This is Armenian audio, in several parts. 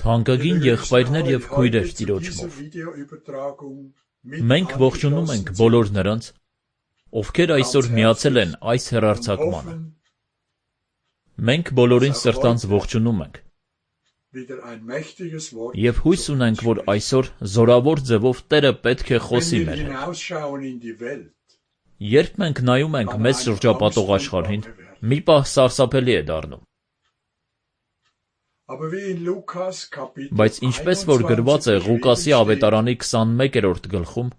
Թանկագին եղբայրներ և քույրեր Տիրոջմով, մենք ողջունում ենք բոլոր նրանց, ովքեր այսօր միացել են այս հեռարձակմանը։ Մենք բոլորին սրտանց ողջունում ենք Եվ հույս ունենք, որ այսօր զորավոր ձևով Տերը պետք է խոսի մեր հետ։ Երբ մենք նայում ենք մեզ շրջապատող աշխարհին, մի պահ սարսափելի է դառնում։ Բայց ինչպես որ գրված է Ղուկասի ավետարանի 21-րդ գլխում,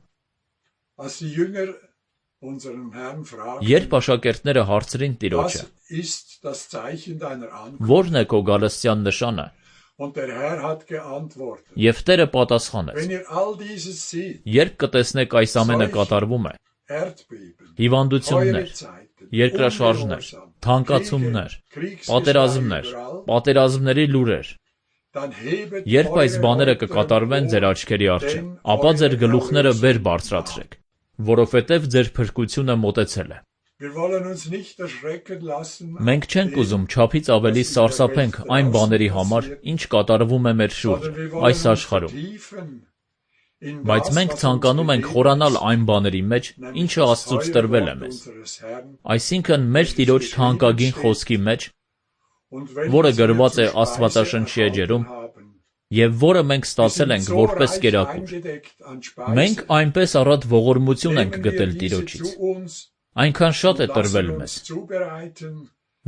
երբ աշակերտները հարցրին Տիրոջը. «Ո՞րն է քո գալստյան նշանը», եւ Տերը պատասխանեց. «Երբ կտեսնեք այս ամենը կատարվում է, հիվանդություններ, երկրաշարժներ, թանկացումներ, պատերազմներ, պատերազմների լուրեր, երբ այս բաները կկատարվեն ձեր աչքերի առջև, ապա ձեր գլուխները վեր բարձրացրեք, որովհետև ձեր փրկությունը մոտեցել է»։ Մենք չենք ուզում չափից ավելի սարսափենք այն բաների համար, ինչ կատարվում է մեր շուրջը, այս աշխարհում։ Բայց մենք ցանկանում ենք խորանալ այն բաների մեջ, ինչը Աստծուց տրվել է մեզ, այսինքն մեր Տիրոջ թանկագին խոսքի մեջ, որը գրված է Աստվածաշնչի էջերում, եւ որը մենք ստացել ենք որպես կերակուր։ Մենք այնպես առատ ողորմություն ենք գտել Տիրոջից, այնքան շատ է տրվել մեզ,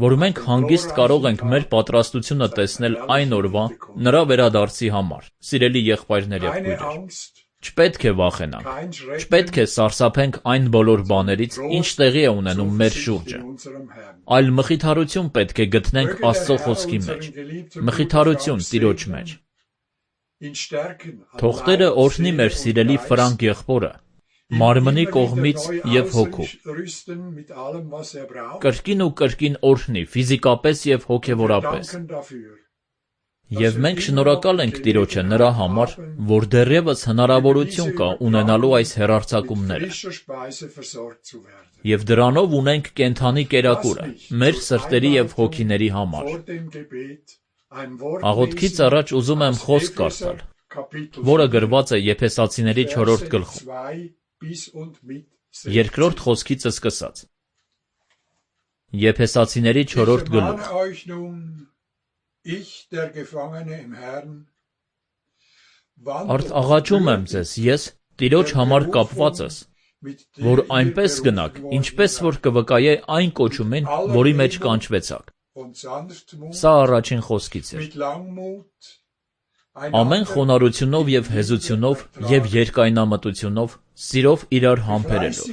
որ մենք հանգիստ կարող ենք մեր պատրաստությունը տեսնել այն օրվա նրա վերադարձի համար, սիրելի եղբայրներ եւ քույրեր։ Չպետք է վախենանք, չպետք է սարսափենք այն բոլոր բաներից, ինչ տեղի է ունենում մեր շուրջը, այլ մխիթարություն պետք է գտնենք Աստծո խոսքի մեջ, մխիթարություն Տիրոջ մեջ։ Թող Տերը օրհնի մեր սիրելի Ֆրանկ եղբորը, մարմնի կողմից եւ հոգու։ Կրկին ու կրկին օրհնի, ֆիզիկապես եւ հոգեվորապես։ Եվ մենք շնորհակալ ենք Տիրոջը նրա համար, որ դեռևս հնարավորություն կա ունենալու այս հեռարձակումները։ Եվ դրանով ունենք կենդանի կերակուրը, մեր սրտերի եւ հոգիների համար։ Աղոթքից առաջ ուզում եմ խոսք կարդալ, որը գրված է Եփեսացիների 4-րդ գլխում, երկրորդ խոսքից սկսած։ Եփեսացիների 4-րդ գլուխ։ Արդ աղաչում եմ ձեզ, ես Տիրոջ համար կապվածս, որ այնպես գնաք, ինչպես որ կվկայե այն կոչումին, որի մեջ կանչվեցաք։ Սա առաջին խոսքից էր։ Ամեն խոնարհությունով եւ հեզությունով եւ երկայնամտությունով, սիրով իրար համբերելով,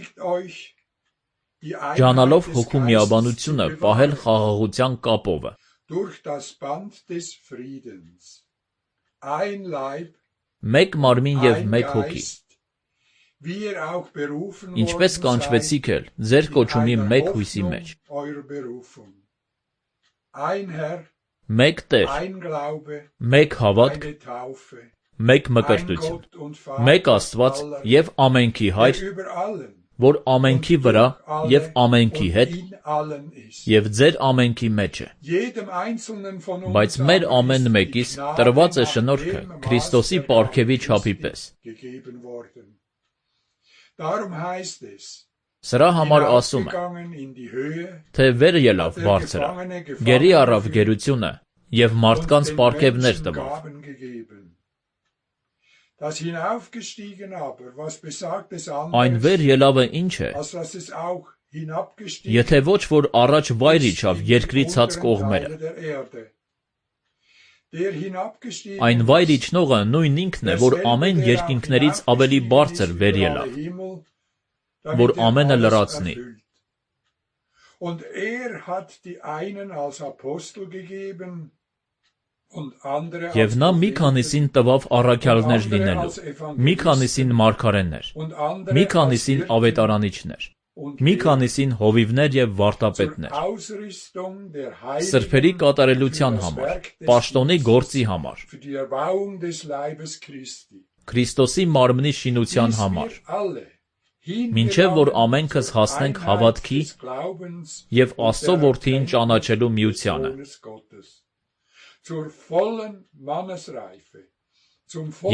ջանալով հոգու միաբանությունը, պահել խաղաղության կապովը։ Մեկ մարմին եւ մեկ հոգի։ Ինչպես կանչվեցիք էլ ձեր կոչումի մեկ հույսի մեջ։ Մեկ Տեր, մեկ հավատք, մեկ մկրտություն, մեկ Աստված եւ ամենքի Հայր, որ ամենքի վրա եւ ամենքի հետ եւ ձեր ամենքի մեջ է։ Բայց մեր ամեն մեկիս տրված է շնորհքը Քրիստոսի պարգևի չափի պես։ Սրա համար ասում է, թե վեր ելավ բարձրը, գերի առավ գերությունը եւ մարդկանց պարգևներ տվավ։ Այն վեր ելավը ինչ է, եթե ոչ որ առաջ վայր իջավ երկրի ցած կողմերը։ Այն վայր իջնողը նույն ինքն է, որ ամեն երկինքներից ավելի բարձր վեր ելավ, որ ամենը լրացնի։ Եվ նա մի քանիսին տվավ առաքյալներ լինելու, մի քանիսին մարգարեներ, մի քանիսին ավետարանիչներ, մի քանիսին հովիվներ եւ վարտապետներ, սրբերի կատարելության համար, պաշտոնի գործի համար, Քրիստոսի մարմնի շինության համար, մինչև որ ամենքս հասնենք հավատքի եւ Աստծո որդիին ճանաչելու միությանը,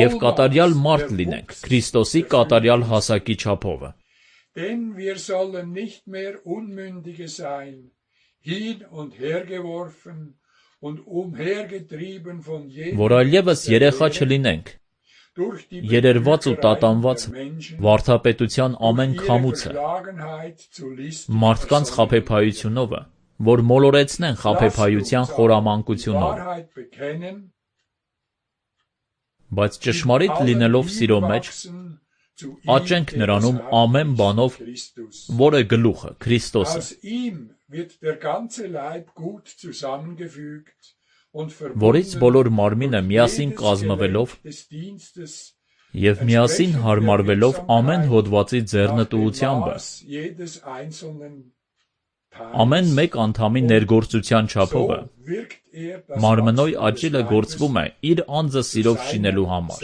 եւ կատարյալ մարդ լինենք Քրիստոսի կատարյալ հասակի չափովը։ որ այլևս երեխա չլինենք, երերված ու տատանված վարդապետության ամեն քամուցը, մարդկանց խաբեբայությունովը, որ մոլորեցնեն խաբեբայության խորամանկությունով, բայց ճշմարիտ լինելով սիրո մեջ, աճենք նրանում ամեն բանով, որ է գլուխը, Քրիստոսը, որից բոլոր մարմինը միասին կազմվելով և միասին հարմարվելով ամեն հոդվածի ձեռնտուությամբ, ամեն մեկ անդամի ներգործության չափով, մարմնոյ աճիլը գործվում է իր անձը սիրով շինելու համար։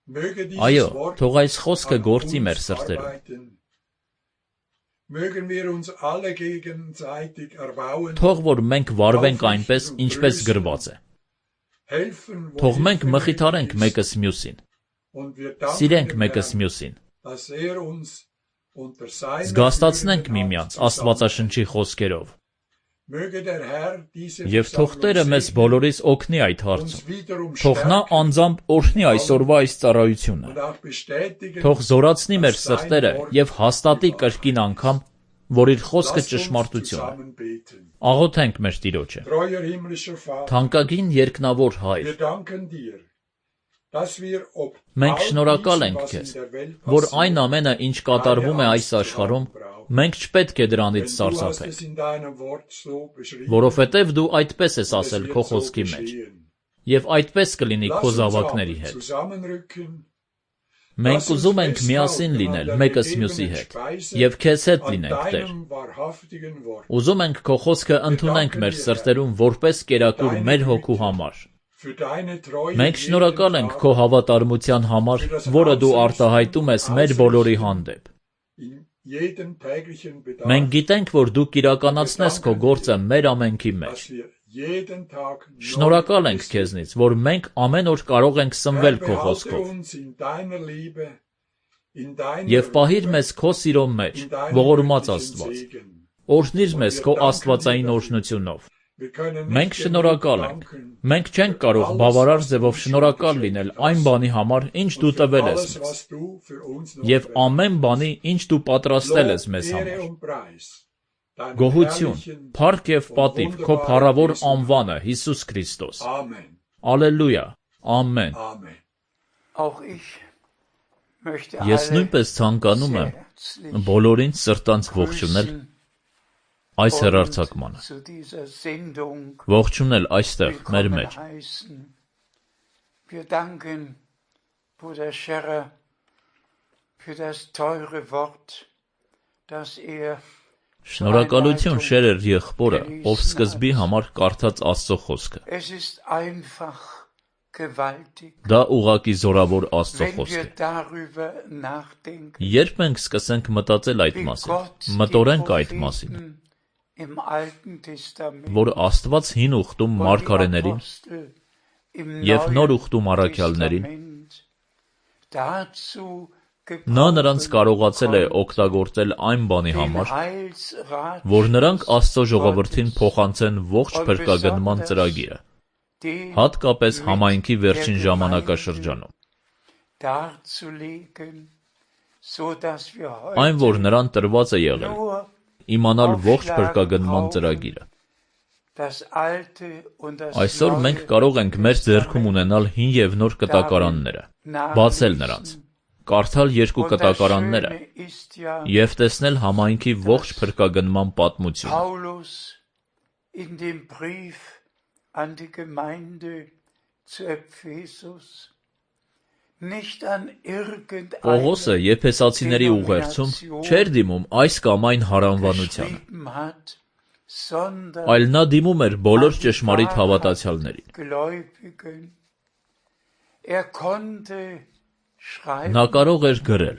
Այո, թող այս խոսքը գործի մեր սրտերում։ Թող որ մենք վարվենք այնպես, ինչպես գրված է։ Թող մենք մխիթարենք մեկս մյուսին, սիրենք մեկս մյուսին, զգաստացնենք միմյանց Աստվածաշնչի խոսքերով, և թող Տերը մեզ բոլորիս օգնի այդ հարցում, թող նա անձամբ օրհնի այսօրվա այս ծառայությունը, թող զորացնի մեր սրտերը և հաստատի կրկին անգամ, որ իր խոսքը ճշմարտություն է։ Աղոթենք մեր Տիրոջը։ Թանկագին երկնավոր Հայր, մենք շնորհակալ ենք Քեզ, որ այն ամենը, ինչ կատարվում է այս աշխարհում, մենք չպետք է դրանից սարսափենք, որովհետև Դու այդպես ես ասել Քո խոսքի մեջ, և այդպես կլինի Քո զավակների հետ։ Մենք ուզում ենք միասին լինել մեկս մյուսի հետ, և Քեզ հետ լինենք, Տեր։ Ուզում ենք Քո խոսքը ընդունենք մեր սրտերում որպես կերակուր մեր հոգու համար։ Մենք շնորհակալ ենք Քո հավատարմության համար, որը Դու արտահայտում ես մեր բոլորի հանդեպ։ Մենք գիտենք, որ Դու կիրականացնես Քո գործը մեր ամենքի մեջ։ Շնորհակալ ենք Քեզնից, որ մենք ամեն օր կարող ենք սնվել Քո խոսքով։ Եվ պահիր մեզ Քո սիրո մեջ, ողորմած Աստված։ Օրհնիր մեզ Քո աստվածային օրհնությունով։ Մենք շնորհակալ ենք։ Մենք չենք կարող բավարար ձևով շնորհակալ լինել այն բանի համար, ինչ Դու տվել ես մեզ, և ամեն բանի, ինչ Դու պատրաստել ես մեզ համար։ Գոհություն, փառք և պատիվ Քո փառավոր անվանը, Հիսուս Քրիստոս։ Ալելույա, ամեն։ Ես նույնպես ցանկանում եմ բոլորին սրտանց ողջունել այս հեռարձակմանը, ողջունել այստեղ մեր մեջ։ Շնորհակալություն Շերեր եղբորը, ով սկզբի համար կարդաց Աստծո խոսքը։ Դա ուղղակի զորավոր Աստծո խոսք է։ Երբ մենք սկսենք մտածել այդ մասին, մտորենք այդ մասին, որ Աստված հին ուխտում մարգարեներին և նոր ուխտում առաքյալներին, նա նրանց կարողացել է օգտագործել այն բանի համար, որ նրանք Աստծո ժողովրդին փոխանցեն ողջ փրկագնման ծրագիրը, հատկապես համայնքի վերջին ժամանակաշրջանում։ Այն, որ նրան տրված է եղել, իմանալ ողջ փրկագնման ծրագիրը։ Այսօր մենք կարող ենք մեր ձեռքում ունենալ հին և նոր կտակարանները, բացել նրանց, կարդալ երկու կտակարանները և տեսնել համայնքի ողջ փրկագնման պատմությունը։ Պողոսը Եփեսացիների ուղերձում չէր դիմում այս կամ այն հարանվանությանը, այլ նա դիմում էր բոլոր ճշմարիտ հավատացյալներին։ Նա կարող էր գրել.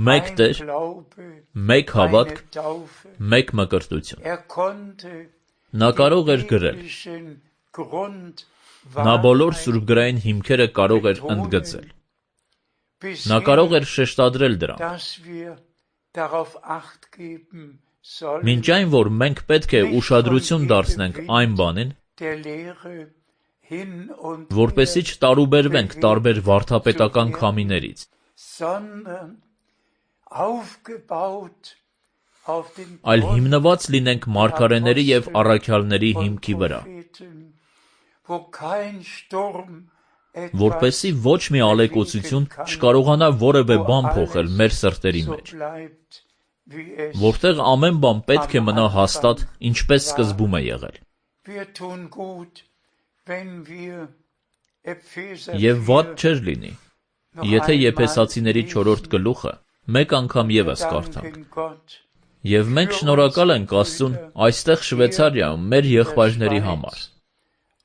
մեկ Տեր, մեկ հավատք, մեկ մկրտություն։ Նա կարող էր գրել. նա բոլոր սուրբգրային հիմքերը կարող էր ընդգծել։ Նա կարող էր շեշտադրել դրանք, Մինչ այն, որ մենք պետք է ուշադրություն դարձնենք այն բանին, որպեսզի չտարուբերվենք տարբեր վարդապետական քամիներից, այլ հիմնված լինենք մարգարեների և առաքյալների հիմքի վրա, որպեսզի ոչ մի ալեկոծություն չկարողանա որևէ բան փոխել մեր սրտերի մեջ, որտեղ ամեն բան պետք է մնա հաստատ, ինչպես սկզբում է եղել։ Եվ վատ չէր լինի, եթե Եփեսացիների 4 գլուխը մեկ անգամ ևս կարդանք։ Եվ մենք շնորհակալ ենք Աստծուն այստեղ Շվեյցարիայում մեր եղբայրների համար։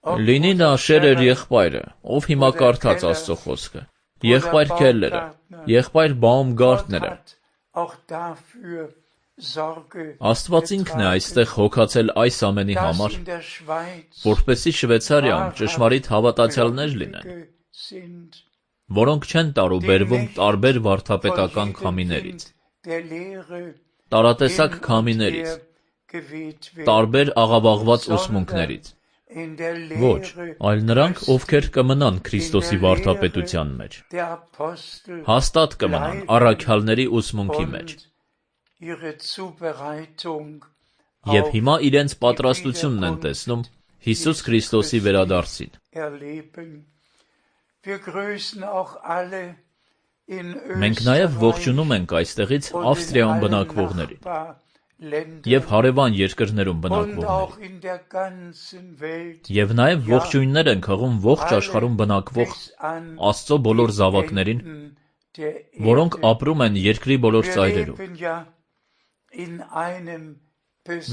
Լինի նա Շերեր եղբայրը, ով հիմա կարդաց Աստծո խոսքը, եղբայր Քելլերը, եղբայր Բաումգարտները։ Աստված ինքն է այստեղ հոգացել այս ամենի համար, որպեսզի Շվեյցարիայում ճշմարիտ հավատացյալներ լինեն, որոնք չեն տարուբերվում տարբեր վարդապետական քամիներից, տարատեսակ քամիներից, տարբեր աղավաղված ուսմունքներից։ Ոչ, այլ նրանք, ովքեր կմնան Քրիստոսի վարդապետության մեջ, հաստատ կմնան առաքյալների ուսմունքի մեջ։ Եվ հիմա իրենց պատրաստությունն են տեսնում Հիսուս Քրիստոսի վերադարձին։ Մենք նաև ողջունում ենք այստեղից Ավստրիայում բնակվողներին և հարևան երկրներում բնակվողներին։ Եվ նաև ողջույններ ենք հղում ողջ աշխարհում բնակվող Աստծո բոլոր զավակներին, որոնք ապրում են երկրի բոլոր ծայրերում։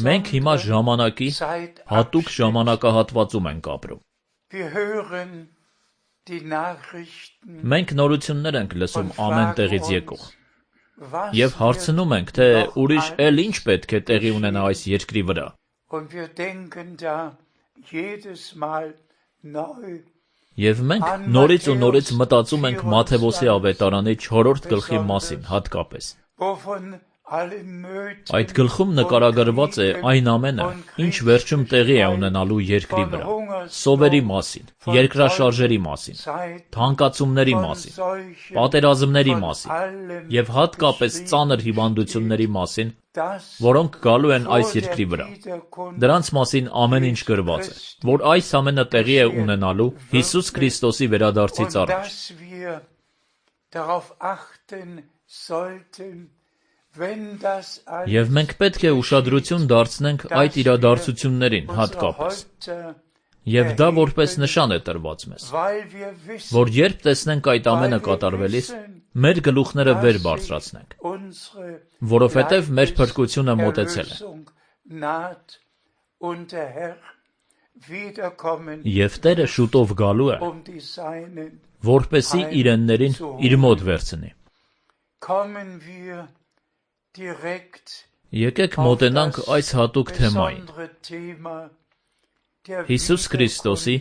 Մենք հիմա ժամանակի հատուկ ժամանակահատվածում ենք ապրում։ Մենք նորություններ ենք լսում ամեն տեղից եկող և հարցնում ենք, թե ուրիշ էլ ինչ պետք է տեղի ունենա այս երկրի վրա։ Եվ մենք նորից ու նորից մտածում ենք Մատթեոսի ավետարանի 4 գլխի մասին հատկապես։ Այդ գլխում նկարագրված է այն ամենը, ինչ վերջում տեղի է ունենալու երկրի վրա, սովերի մասին, երկրաշարժերի մասին, թանկացումների մասին, պատերազմների մասին և հատկապես ծանր հիվանդությունների մասին, որոնք գալու են այս երկրի վրա։ Դրանց մասին ամեն ինչ գրված է, որ այս ամենը տեղի է ունենալու Հիսուս Քրիստոսի վերադարձից առաջ։ Եվ մենք պետք է ուշադրություն դարձնենք այդ իրադարձություններին հատկապես։ Եվ դա որպես նշան է տրված մեզ, որ երբ տեսնենք այդ ամենը կատարվելիս, մեր գլուխները վեր բարձրացնենք, որովհետև մեր փրկությունը մոտեցել է։ Եվ Տերը շուտով գալու է, որպեսզի իրեններին իր մոտ վերցնի։ Եկեք մոտենանք այս հատուկ թեմային։ Հիսուս Քրիստոսի,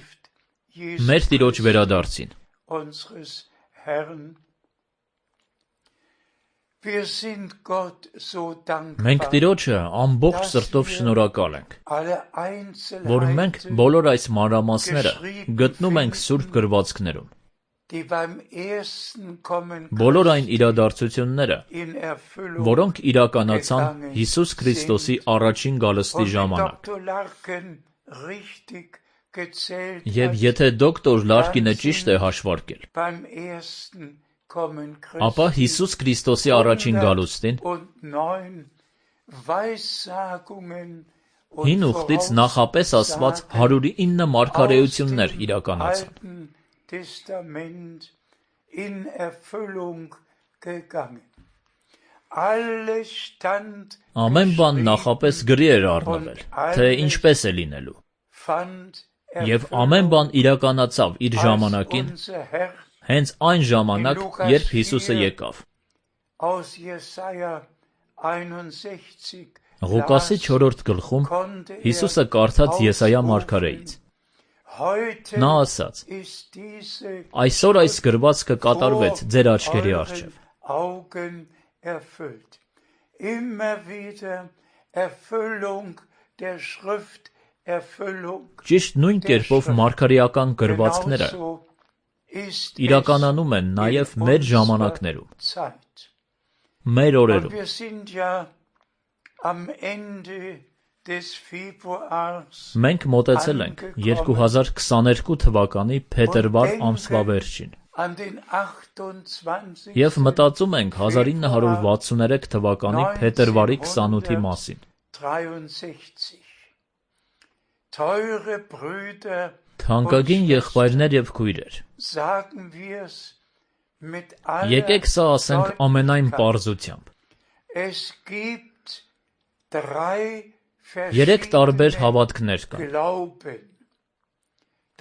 մեր Տիրոջ վերադարձին։ Մենք Տիրոջը ամբողջ սրտով շնորհակալ ենք, որ մենք բոլոր այս մանրամասները գտնում ենք Սուրբ գրվածքներում։ Բոլոր այն իրադարձությունները, որոնք իրականացան Հիսուս Քրիստոսի առաջին գալստի ժամանակ։ Եվ եթե դոկտոր Լարկինը ճիշտ է հաշվարկել, ապա Հիսուս Քրիստոսի առաջին գալուստին 9 ուխտից նախապես ասված 109 մարգարեություններ իրականացան։ Ամեն բան նախապես գրի էր առնվել, թե ինչպես է լինելու։ Եվ ամեն բան իրականացավ իր ժամանակին, հենց այն ժամանակ, երբ Հիսուսը եկավ։ Ղուկասի 4 գլխում Հիսուսը կարդաց Եսայիա մարգարեից։ Նա ասաց. «Այսօր այս գրվածքը կատարվեց ձեր աչքերի առջև»։ immer wieder Erfüllung der Schrift, Erfüllung. Ճիշտ նույն կերպով մարգարեական գրվածքները իրականանում են նաև մեր ժամանակներում, մեր օրերում։ Մենք մոտեցել ենք 2022 թվականի փետրվար ամսվա վերջին և մտածում ենք 1963 թվականի փետրվարի 28-ի մասին։ Թանկագին եղբայրներ և քույրեր, եկեք սա ասենք ամենայն պարզությամբ։ Երեք տարբեր հավատքներ կան։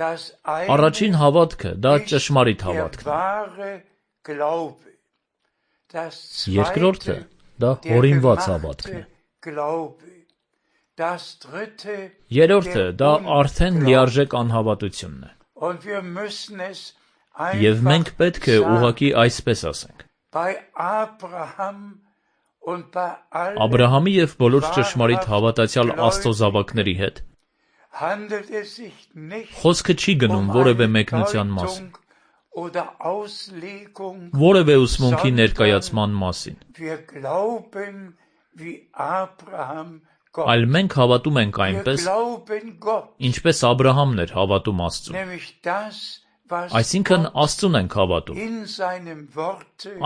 Առաջին հավատքը դա ճշմարիտ հավատքն է։ Երկրորդը դա հորինված հավատքն է։ Երրորդը դա արդեն լիարժեք անհավատությունն է։ Եվ մենք պետք է ուղղակի այսպես ասենք. Աբրահամի և բոլոր ճշմարիտ հավատացյալ Աստծո զավակների հետ խոսքը չի գնում որևէ մեկնության մասին, որևէ ուսմունքի ներկայացման մասին, այլ մենք հավատում ենք այնպես, ինչպես Աբրահամն էր հավատում Աստծուն, այսինքն Աստծուն ենք հավատում,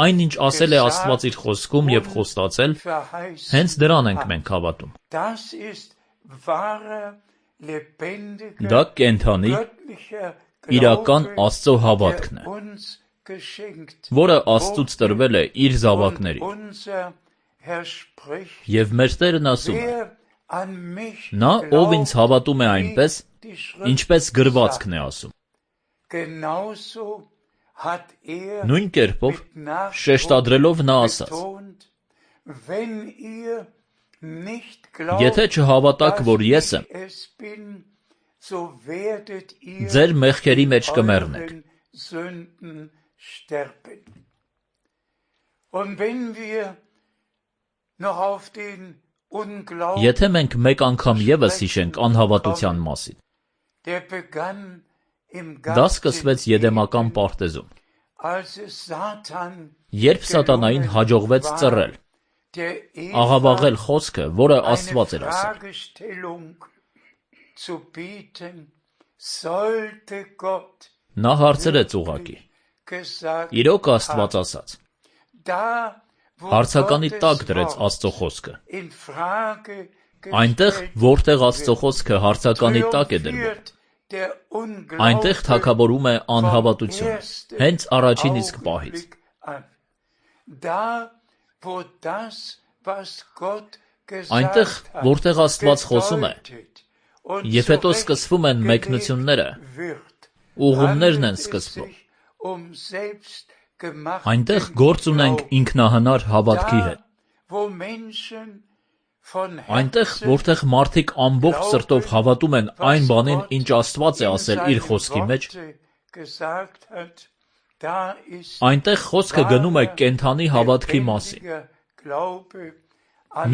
այն ինչ ասել է Աստված իր խոսքում և խոստացել, հենց դրան ենք մենք հավատում։ Դա կենդանի, իրական Աստծո հավատքն է, որը Աստծուց տրվել է իր զավակներին։ Եվ մեր Տերն ասում է. նա, ով ինձ հավատում է այնպես, ինչպես գրվածքն է ասում։ Նույն կերպով, շեշտադրելով նա ասաց. եթե չհավատաք, որ ես եմ, ձեր մեղքերի մեջ կմեռնեք։ Եթե մենք մեկ անգամ ևս հիշենք անհավատության մասին, դա սկսվեց Եդեմական պարտեզում, երբ սատանային հաջողվեց ծռել, աղավաղել խոսքը, որը Աստված էր ասել։ Նա հարցրեց ուղղակի. իրոք Աստված ասաց։ Հարցականի տակ դրեց Աստծո խոսքը։ Այնտեղ, որտեղ Աստծո խոսքը հարցականի տակ է դրվում, այնտեղ թագավորում է անհավատությունը, հենց առաջին իսկ պահից։ Այնտեղ, որտեղ Աստված խոսում է, և հետո սկսվում են մեկնությունները, ուղումներն են սկսվում, այնտեղ գործ ունենք ինքնահնար հավատքի հետ։ Այնտեղ, որտեղ մարդիկ ամբողջ սրտով հավատում են այն բանին, ինչ Աստված է ասել իր խոսքի մեջ, այնտեղ խոսքը գնում է կենդանի հավատքի մասին,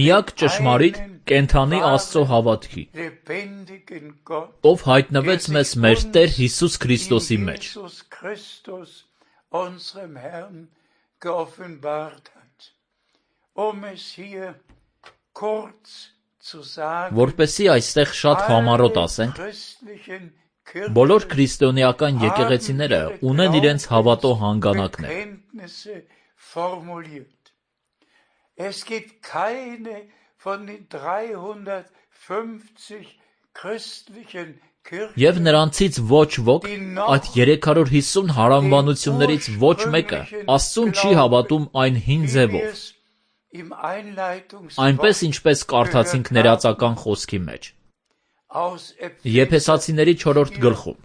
միակ ճշմարիտ կենդանի Աստծո հավատքի, ով հայտնվեց մեզ մեր Տեր Հիսուս Քրիստոսի մեջ։ Որպեսզի այստեղ շատ համառոտ ասենք, բոլոր քրիստոնեական եկեղեցիները ունեն իրենց հավատո հանգանակներ։ Եվ նրանցից ոչ ոք, այդ 350 հարանվանություններից ոչ մեկը Աստծուն չի հավատում այն հին ձևով, այնպես ինչպես կարդացինք ներածական խոսքի մեջ, Եփեսացիների 4-րդ գլխում,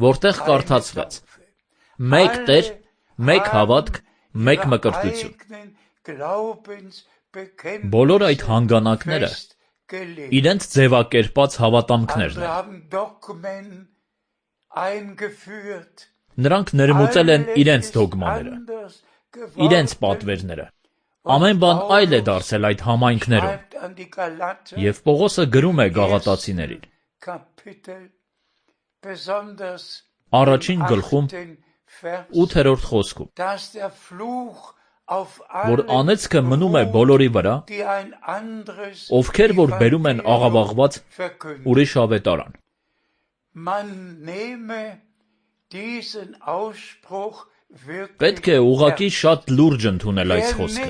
որտեղ կարդացվեց. մեկ Տեր, մեկ հավատք, մեկ մկրտություն։ Բոլոր այդ հանգանակները իրենց ձևակերպած հավատամքներն են։ Նրանք ներմուծել են իրենց դոգմաները, իրենց պատվերները։ Ամեն բան այլ է դարձել այդ համայնքներում։ Եվ Պողոսը գրում է Գաղատացիներին։ Առաջին գլխում 8-րդ խոսքում, որ անեծքը մնում է բոլորի վրա, ովքեր որ բերում են աղավաղված ուրիշ ավետարան։ Պետք է ուղղակի շատ լուրջ ընդունել այս խոսքը։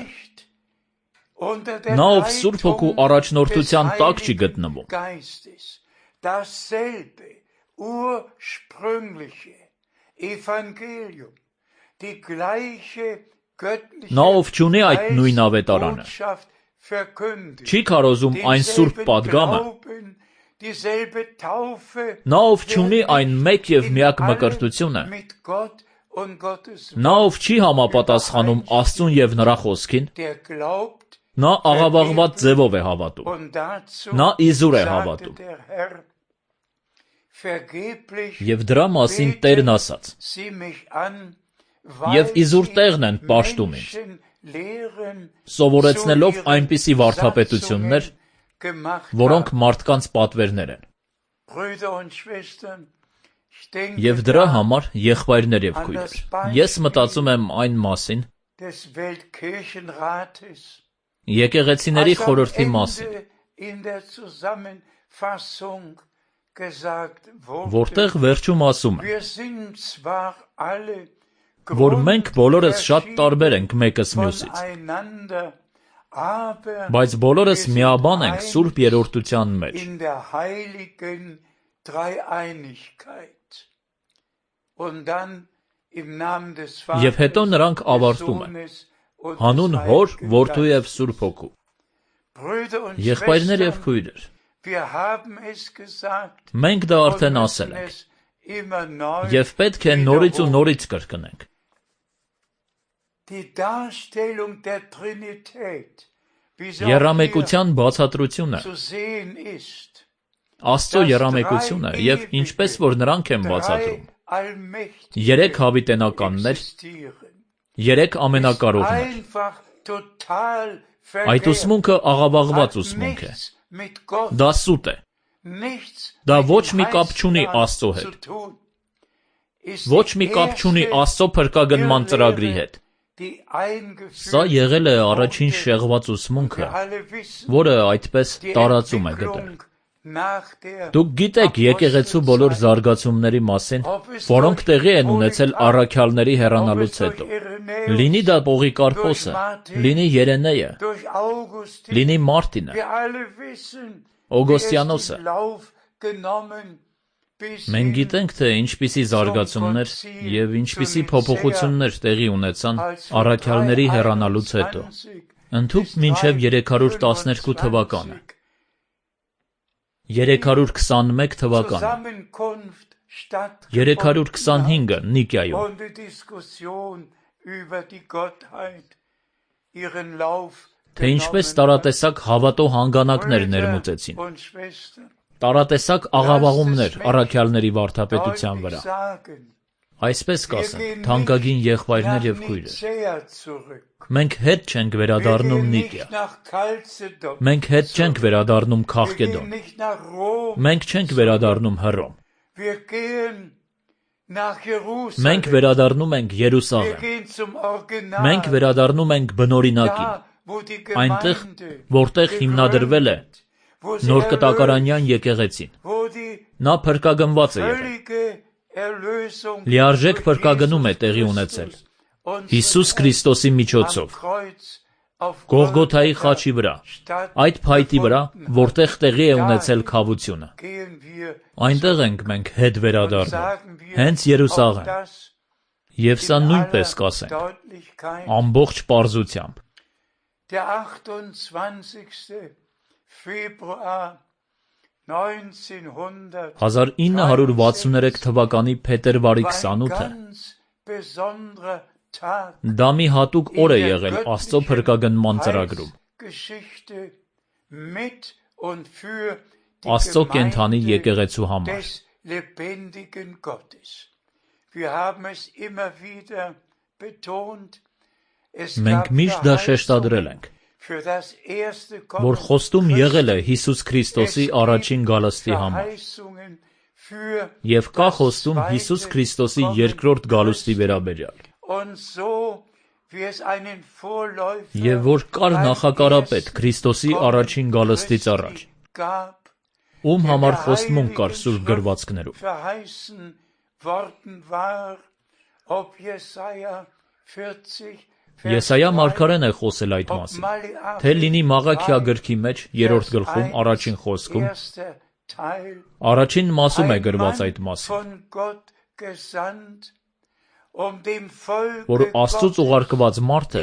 Նա, ով Սուրբ Հոգու առաջնորդության տակ չի գտնվում, նա, ով չունի այդ նույն ավետարանը, չի քարոզում այն սուրբ պատգամը, նա, ով չունի այն մեկ և միակ մկրտությունը, նա, ով չի համապատասխանում Աստծուն և նրա խոսքին, նա աղավաղված ձևով է հավատում, նա իզուր է հավատում։ Եվ դրա մասին Տերն ասաց. «Եվ իզուր տեղն են պաշտում ինձ, սովորեցնելով այնպիսի վարդապետություններ, որոնք մարդկանց պատվերներ են»։ Եվ դրա համար, եղբայրներ և քույրեր, ես մտածում եմ այն մասին, եկեղեցիների խորհրդի մասին, որտեղ վերջում ասում է, որ մենք բոլորս շատ տարբեր ենք մեկս մյուսից, բայց բոլորս միաբան ենք Սուրբ Երրորդության մեջ։ Եվ հետո նրանք ավարտում են. հանուն Հոր, Որդու և Սուրբ Հոգու։ Եղբայրներ և քույրեր, մենք դա արդեն ասել ենք, և պետք է նորից ու նորից կրկնենք։ Եռամեկության բացատրությունը, Աստծո եռամեկությունը և ինչպես որ նրանք են բացատրում, 3 հավիտենականներ, 3 ամենակարողներ։ Այդ ուսմունքը աղավաղված ուսմունք է։ Դա սուտ է։ Դա ոչ մի կապ չունի Աստծո հետ։ Ոչ մի կապ չունի Աստծո փրկագնման ծրագրի հետ։ Սա եղել է առաջին շեղված ուսմունքը, որը այդպես տարածում է գտել։ Դուք գիտեք եկեղեցու բոլոր զարգացումների մասին, որոնք տեղի են ունեցել առաքյալների հեռանալուց հետո։ Լինի դա Պողիկարպոսը, լինի Երենեը, լինի Մարտինը, Օգոստիանոսը։ Մենք գիտենք, թե ինչպիսի զարգացումներ և ինչպիսի փոփոխություններ տեղի ունեցան առաքյալների հեռանալուց հետո, ընդհուպ մինչև 312 թվականը, 321 թվականը, 325-ը Նիկիայում։ Թե ինչպես տարատեսակ հավատո հանգանակներ ներմուծեցին, տարատեսակ աղավաղումներ առաքյալների վարդապետության վրա։ Այսպես կասենք, թանկագին եղբայրներ և քույրեր, մենք հետ չենք վերադառնում Նիկիա, մենք հետ չենք վերադառնում Քաղկեդոն, մենք չենք վերադառնում Հռոմ, մենք վերադառնում ենք Երուսաղեմ, մենք վերադառնում ենք բնօրինակին, այնտեղ, որտեղ հիմնադրվել է նոր կտակարանյան եկեղեցին։ Նա փրկագնված է եղել։ Լիարժեք փրկագնում է տեղի ունեցել Հիսուս Քրիստոսի միջոցով, Գողգոթայի խաչի վրա, այդ փայտի վրա, որտեղ տեղի է ունեցել քավությունը։ Այնտեղ ենք մենք հետ վերադառնում, հենց Երուսաղեմ։ Եվ սա նույնպես կասենք, ամբողջ պարզությամբ։ 1963 թվականի փետրվարի 28-ը դա մի հատուկ օր է եղել Աստծո փրկագնման ծրագրում, Աստծո կենդանի եկեղեցու համար։ Մենք միշտ դա շեշտադրել ենք, որ խոստում եղել է Հիսուս Քրիստոսի առաջին գալստի համար, և կա խոստում Հիսուս Քրիստոսի երկրորդ գալուստի վերաբերյալ, և որ կար նախակարապետ Քրիստոսի առաջին գալստից առաջ, ում համար խոստմունք կար սուրբ գրվածքներում։ Եսայիա մարգարեն է խոսել այդ մասին, թե լինի Մաղաքիա գրքի մեջ 3-րդ գլխում առաջին խոսքում, առաջին մասում է գրված այդ մասին, որ Աստծուց ուղարկված մարդը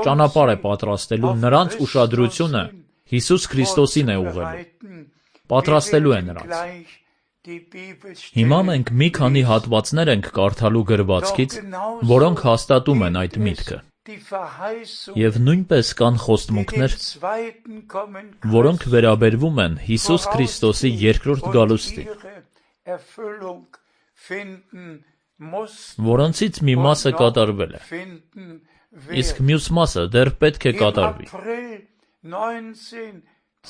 ճանապարհ է պատրաստելու, նրանց ուշադրությունը Հիսուս Քրիստոսին է ուղղելու, պատրաստելու է նրանց։ Հիմա մենք մի քանի հատվածներ ենք կարդալու գրվածքից, որոնք հաստատում են այդ միտքը, և նույնպես կան խոստմունքներ, որոնք վերաբերվում են Հիսուս Քրիստոսի երկրորդ գալուստին, որոնցից մի մասը կատարվել է, իսկ մյուս մասը դեռ պետք է կատարվի։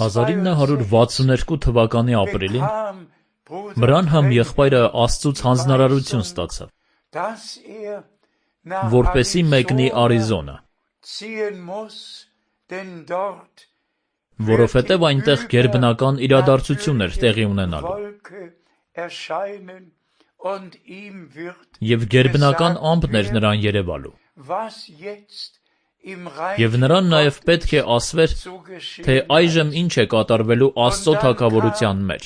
1962 թվականի ապրիլին Բրանհամ եղբայրը Աստծուց հանձնարարություն ստացավ, որպեսզի մեկնի Արիզոնա, որովհետև այնտեղ գերբնական իրադարձություն էր տեղի ունենալու, և գերբնական ամպն էր նրան երևալու, և նրան նաև պետք է ասվեր, թե այժմ ինչ է կատարվելու Աստծո թագավորության մեջ։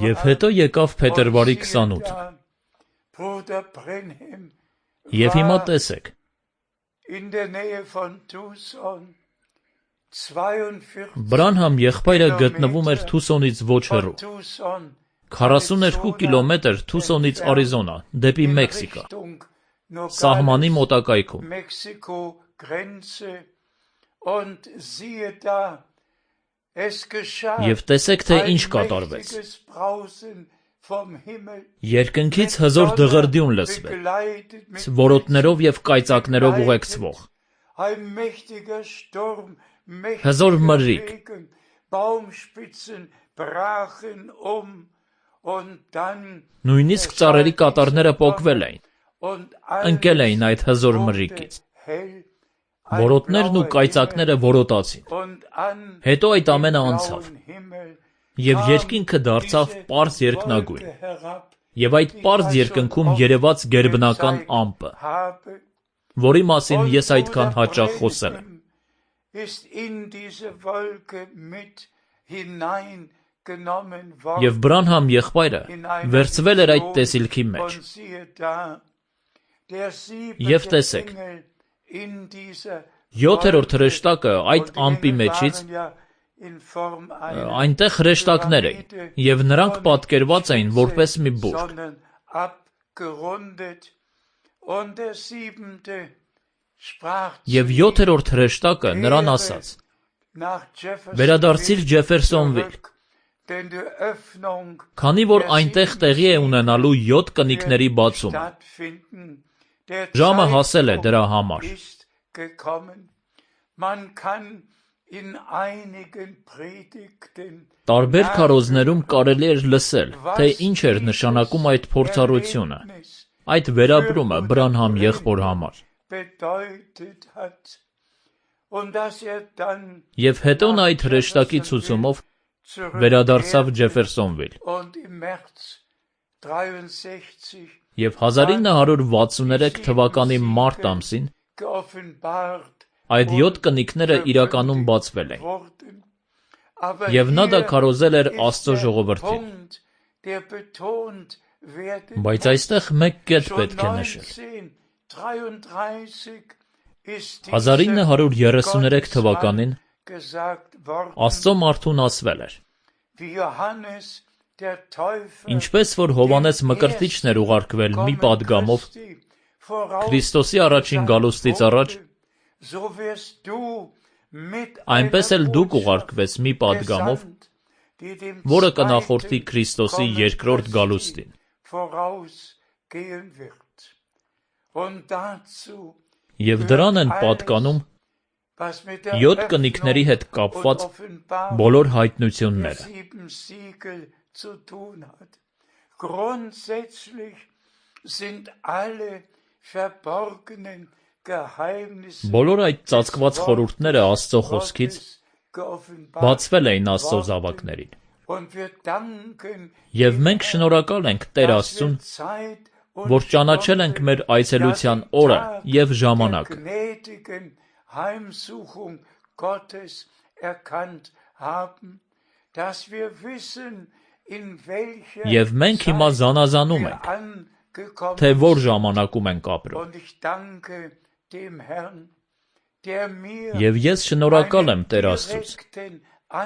Եվ հետո եկավ փետրվարի 28-ը։ Եվ հիմա տեսեք, Բրանհամ եղբայրը գտնվում էր Թուսոնից ոչ հեռու, 42 կիլոմետր Թուսոնից Արիզոնա, դեպի Մեքսիկա, սահմանի մոտակայքում։ Եվ տեսեք, թե ինչ կատարվեց։ Երկնքից հզոր դղրդյուն լսվեց, որոտներով և կայծակներով ուղեկցվող, հզոր մրրիկ, նույնիսկ ծառերի կատարները պոկվել էին, ընկել էին այդ հզոր մրրիկից, որոտներն ու կայծակները որոտացին, հետո այդ ամենը անցավ, և երկինքը դարձավ պարզ երկնագույն, և այդ պարզ երկնքում երևաց գերբնական ամպը, որի մասին ես այդքան հաճախ խոսել եմ։ Եվ Բրանհամ եղբայրը վերցվել էր այդ տեսիլքի մեջ։ Եվ տեսեք, 7-րդ հրեշտակը այդ ամպի մեջից, այնտեղ հրեշտակներ էին, և նրանք պատկերված էին որպես մի բուրդ։ Եվ 7-րդ հրեշտակը նրան ասաց. «Վերադարձիր Ջեֆերսոնվիլ, քանի որ այնտեղ տեղի է ունենալու 7 կնիկների բացումը։ Ժամը հասել է դրա համար»։ Տարբեր քարոզներում կարելի էր լսել, թե ինչ էր նշանակում այդ փորձառությունը, այդ վերապրումը Բրանհամ եղբոր համար։ Եվ հետո նա այդ հրեշտակի ցուցումով վերադարձավ Ջեֆերսոնվիլ։ Եվ 1963 թվականի մարտ ամսին այդ 7 կնիկները իրականում բացվել էին, և նա դա քարոզել էր Աստծո ժողովրդին։ Բայց այստեղ մեկ կետ պետք է նշել։ 1933 թվականին Աստծո մարդուն ասվել էր. ինչպես որ Հովհաննես Մկրտիչն էր ուղարկվել մի պատգամով Քրիստոսի առաջին գալուստից առաջ, այնպես էլ դուք ուղարկվեց մի պատգամով, որը կնախորդի Քրիստոսի երկրորդ գալուստին։ gehen wird. Und dazu Եվ դրան են պատկանում was mit der 7 կնիկների հետ Öffnung կապված und Offenbarung բոլոր der հայտնությունները։ 7 Siegel zu tun hat. Grundsätzlich sind alle verborgenen Geheimnisse Բոլոր այդ ծածկված խորհուրդները Աստծո խոսքից Gottes geoffenbart. բացվել էին Աստծո զավակներին։ Und wir danken Եվ մենք շնորհակալ ենք Տեր dass Աստծուն, wir Zeit und որ ճանաչել ենք մեր այցելության օրը եւ der ժամանակը։ gnädigen Heimsuchung Gottes erkannt haben, dass wir wissen, in welcher Եվ մենք հիմա զանազանում wir ենք, angekommen թե որ ժամանակում ենք ապրում։ und ich danke dem Herrn, der mir Եվ ես շնորհակալ եմ Տեր Աստծուց,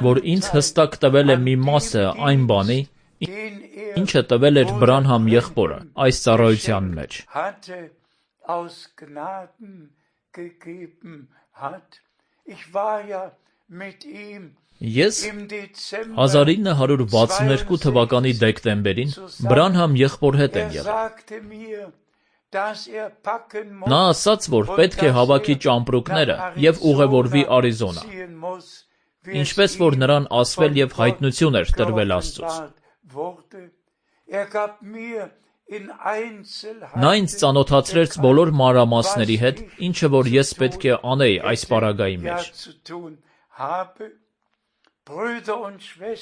որ ինձ հստակ տվել է մի մասը այն բանի, ինչը տվել էր Բրանհամ եղբորը այս ծառայության մեջ։ hatte aus Gnaden gegeben hat. Ich war ja mit ihm Ես im Dezember 1962 թվականի դեկտեմբերին Բրանհամ եղբոր հետ եմ եղել։ sagte mir, dass packen muss, Նա ասաց, որ պետք է հավաքի ճամպրուկները եւ ուղևորվի Արիզոնա, ziehen muss, wie ինչպես որ նրան ասվել եւ հայտնություն էր տրվել Աստծուց։ wurde. Gab mir in Նա ինձ ծանոթացրեց բոլոր մանրամասների հետ, ինչը որ ես պետք է անեի այս պարագայի մեջ։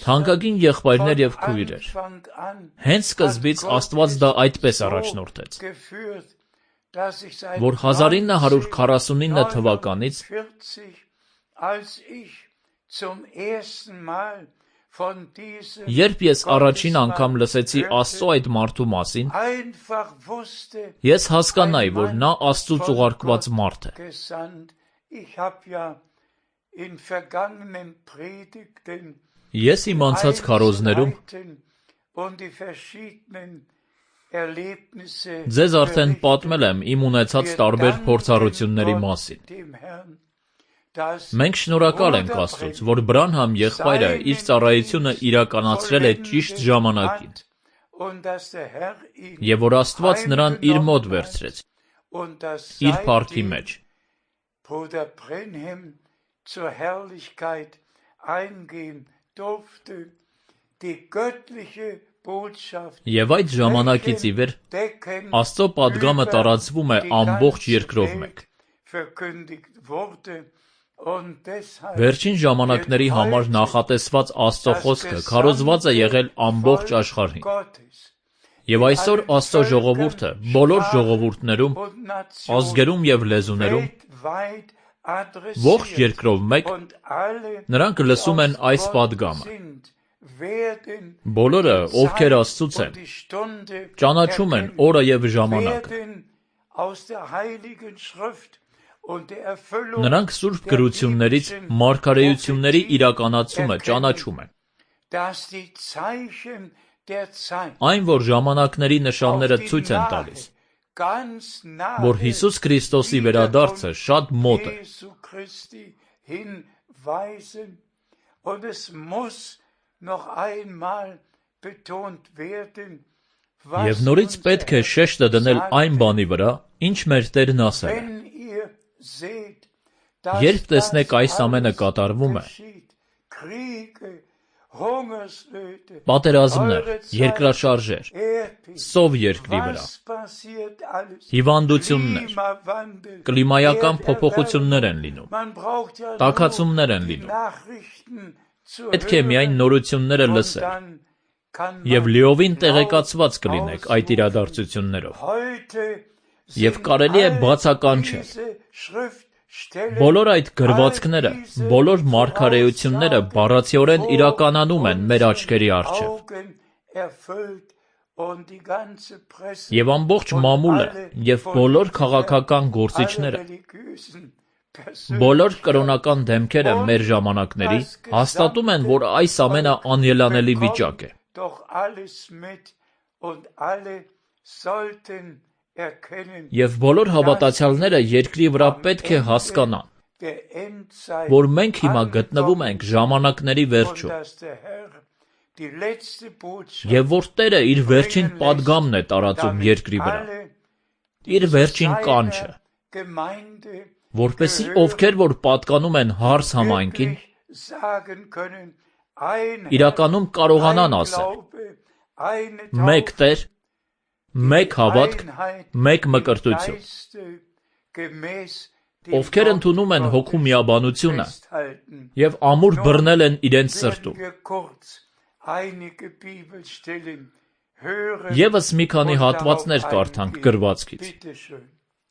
Թանկագին եղբայրներ եւ քույրեր, հենց սկզբից Աստված դա այդպես առաջնորդեց, որ 1949 թվականից երբ ես առաջին անգամ լսեցի Աստծո այդ մարդու մասին, ես հասկանայի, որ նա Աստծուց ուղարկված մարդ է։ Ես իմ անցած քարոզներում ձեզ արդեն պատմել եմ իմ ունեցած տարբեր փորձառությունների մասին։ Մենք շնորհակալ ենք Աստծուց, որ Բրանհամ եղբայրը իր ծառայությունը իրականացրել է ճիշտ ժամանակին, եւ որ Աստված նրան իր մոտ վերցրեց, իր փառքի մեջ։ Եվ այդ ժամանակից ի վեր Աստծո պատգամը տարածվում է ամբողջ երկրով մեկ։ Վերջին ժամանակների համար նախատեսված Աստծո խոսքը քարոզված է եղել ամբողջ աշխարհին։ Եվ այսօր Աստծո ժողովուրդը բոլոր ժողովուրդներում, ազգերում եւ լեզուներում, ողջ երկրով մեկ, նրանք լսում են այս պատգամը։ Բոլորը, ովքեր Աստծուց են, ճանաչում են օրը եւ ժամանակը։ Նրանք սուրբ գրություններից մարգարեությունների իրականացումը ճանաչում են։ Այն, որ ժամանակների նշանները ցույց են տալիս, որ Հիսուս Քրիստոսի վերադարձը շատ մոտ է։ Եվ նորից պետք է շեշտը դնել այն բանի վրա, ինչ մեր Տերն ասել է։ Երբ տեսնեք այս ամենը կատարվում է, պատերազմներ, երկրաշարժեր, սով երկրի վրա, հիվանդություններ, կլիմայական փոփոխություններ են լինում, տաքացումներ են լինում, պետք է միայն նորությունները լսել, եւ լիովին տեղեկացված կլինեք այդ իրադարձություններով, եւ կարելի է բացականչել։ Բոլոր այդ գրվածքները, բոլոր մարգարեությունները բառացիորեն իրականանում են մեր աչքերի առջև։ Եվ ամբողջ մամուլը եւ բոլոր քաղաքական գործիչները, բոլոր կրոնական դեմքերը մեր ժամանակների հաստատում են, որ այս ամենը անելանելի վիճակ է։ Եվ բոլոր հավատացյալները երկրի վրա պետք է հասկանան, որ մենք հիմա գտնվում ենք ժամանակների վերջում, die letzte Botschaft, Եվ որ Տերը իր վերջին պատգամն է տարածում երկրի վրա, իր վերջին կանչը, Gemeinde որպեսզի ովքեր որ պատկանում են հարս համայնքին, sagen können, ein իրականում կարողանան ասել. մեկ Տեր, մեկ հավատք, մեկ մկրտություն, ովքեր ընդունում են հոգու միաբանությունը եւ ամուր բռնել են իրենց սրտում։ Եվս մի քանի հատվածներ կարդանք գրվածքից։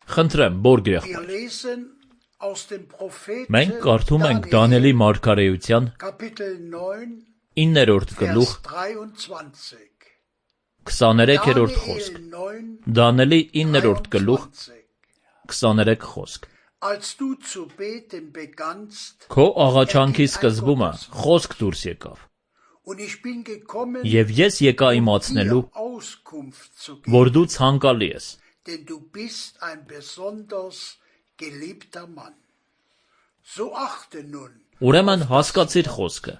Խնդրեմ, Բորգ եղբայր։ Մենք կարդում ենք Դանիելի մարգարեության 9-րդ գլուխ 23-րդ խոսք։ Դանիելի 9-րդ գլուխ 23 խոսք։ Քո աղաչանքի սկզբումը խոսք դուրս եկավ։ Եվ ես եկա իմացնելու, որ դու ցանկալի ես։ Ուրեմն հասկացիր խոսքը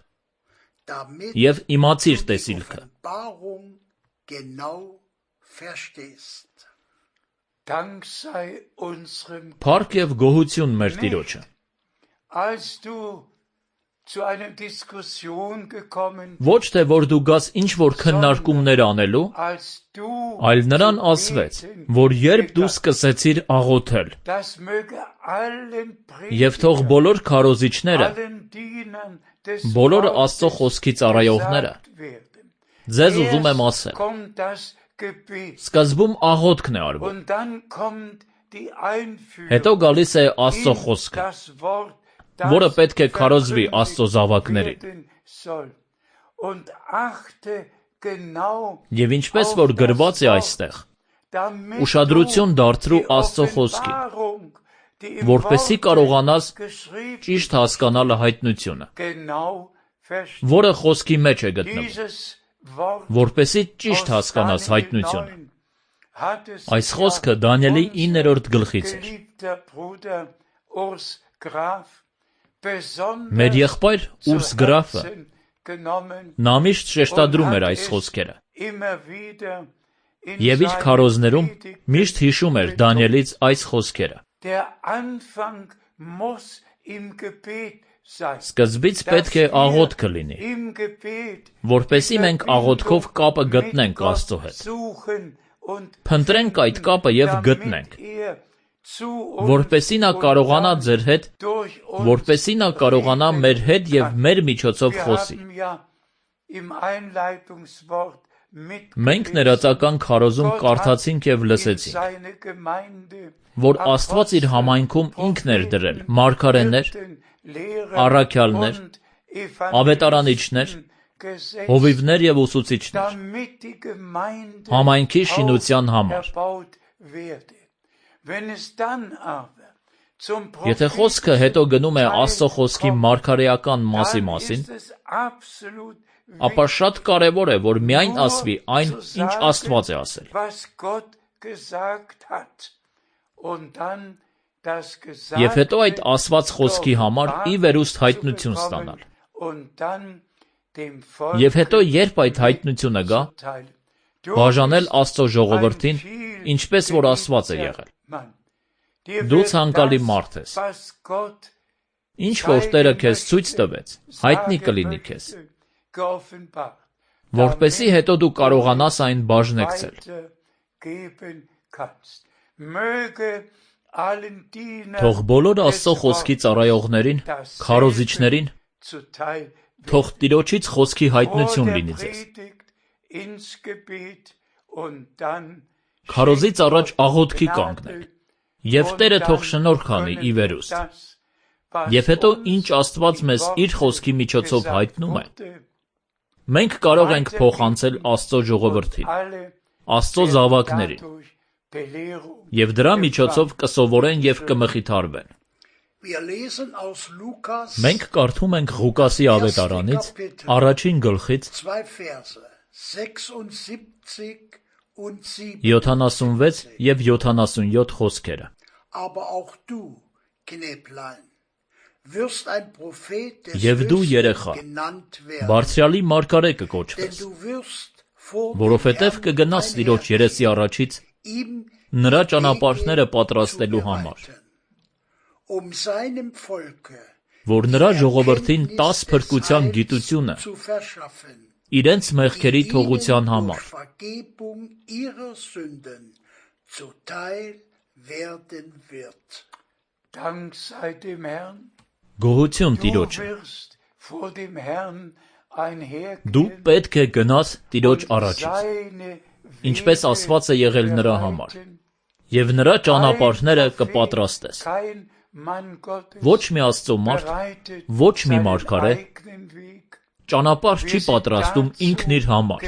եւ իմացիր տեսիլքը։ Փառք եւ գոհություն մեր Տիրոջը։ Ոչ թե որ դու գաս ինչ-որ քննարկումներ անելու, այլ նրան ասվեց, որ երբ դու սկսեցիր աղոթել, եւ թող բոլոր քարոզիչները, բոլոր Աստծո խոսքի ծառայողները, ձեզ ուզում եմ ասել, սկզբում աղոթքն է արվում, հետո գալիս է Աստծո խոսքը, որը պետք է քարոզվի Աստծո զավակներին։ Եվ ինչպես որ գրված է այստեղ, ուշադրություն դարձրու Աստծո խոսքին, որպեսզի կարողանաս ճիշտ հասկանալ հայտնությունը, որը խոսքի մեջ է գտնվում, որպեսզի ճիշտ հասկանաս հայտնությունը։ Այս խոսքը Դանիելի 9-րդ գլխից էր։ Մեր եղբայր Ուրս գրաֆը նա միշտ շեշտադրում էր այս խոսքերը եւ իր քարոզներում միշտ հիշում էր Դանիելից այս խոսքերը։ Սկզբից պետք է աղոթքը լինի, որպեսզի մենք աղոթքով կապը գտնենք Աստծո հետ։ Փնտրենք այդ կապը եւ գտնենք, որպեսզի նա կարողանա ձեր հետ, որպեսզի նա կարողանա մեր հետ եւ մեր միջոցով խոսի։ Մենք ներածական քարոզում կարդացինք եւ լսեցինք, որ Աստված իր համայնքում ինքն էր դրել մարգարեներ, առաքյալներ, ավետարանիչներ, հովիվներ եւ ուսուցիչներ, համայնքի շինության համար։ Եթե խոսքը հետո գնում է Աստծո խոսքի մարգարեական մասի մասին, ապա շատ կարևոր է, որ միայն ասվի այն, ինչ Աստված է ասել։ Եվ հետո այդ ասված խոսքի համար ի վերուստ հայտնություն ստանալ։ Եվ հետո երբ այդ հայտնությունը գա, բաժանել Աստծո ժողովրդին, ինչպես որ ասված է եղել։ Դու ցանկալի մարդ ես։ Ինչ որ Տերը քեզ ցույց տվեց, հայտնի կլինի քեզ, որպեսզի հետո դու կարողանաս այն բաժնեկցել։ Թող բոլոր Աստծո խոսքի ծառայողներին, քարոզիչներին, թող Տիրոջից խոսքի հայտնություն լինի ձեզ։ Քարոզից առաջ աղոթքի կանգնեք, եւ Տերը թող շնորհք անի ի վերուստ։ Եվ հետո ինչ Աստված մեզ իր խոսքի միջոցով հայտնում է, մենք կարող ենք փոխանցել Աստծո ժողովրդին, Աստծո զավակներին, եւ դրա միջոցով կսովորեն եւ կմխիթարվեն։ Մենք կարդում ենք Ղուկասի ավետարանից առաջին գլխից 76 եւ 77 խոսքերը։ Եվ դու երեխա, բարձրյալի մարգարե կկոչվես, որովհետև կգնաս Տիրոջ երեսի առաջից նրա ճանապարհները պատրաստելու համար, որ նրա ժողովրդին 10 փրկության գիտությունը իրենց մեղքերի թողության համար, գոհություն Տիրոջը, դու պետք է գնաս Տիրոջ առաջից, ինչպես ասված է եղել նրա համար, և նրա ճանապարհները կպատրաստես։ Ոչ մի Աստծո մարդ, ոչ մի մարգարե ճանապարհ չի պատրաստում ինքն իր համար։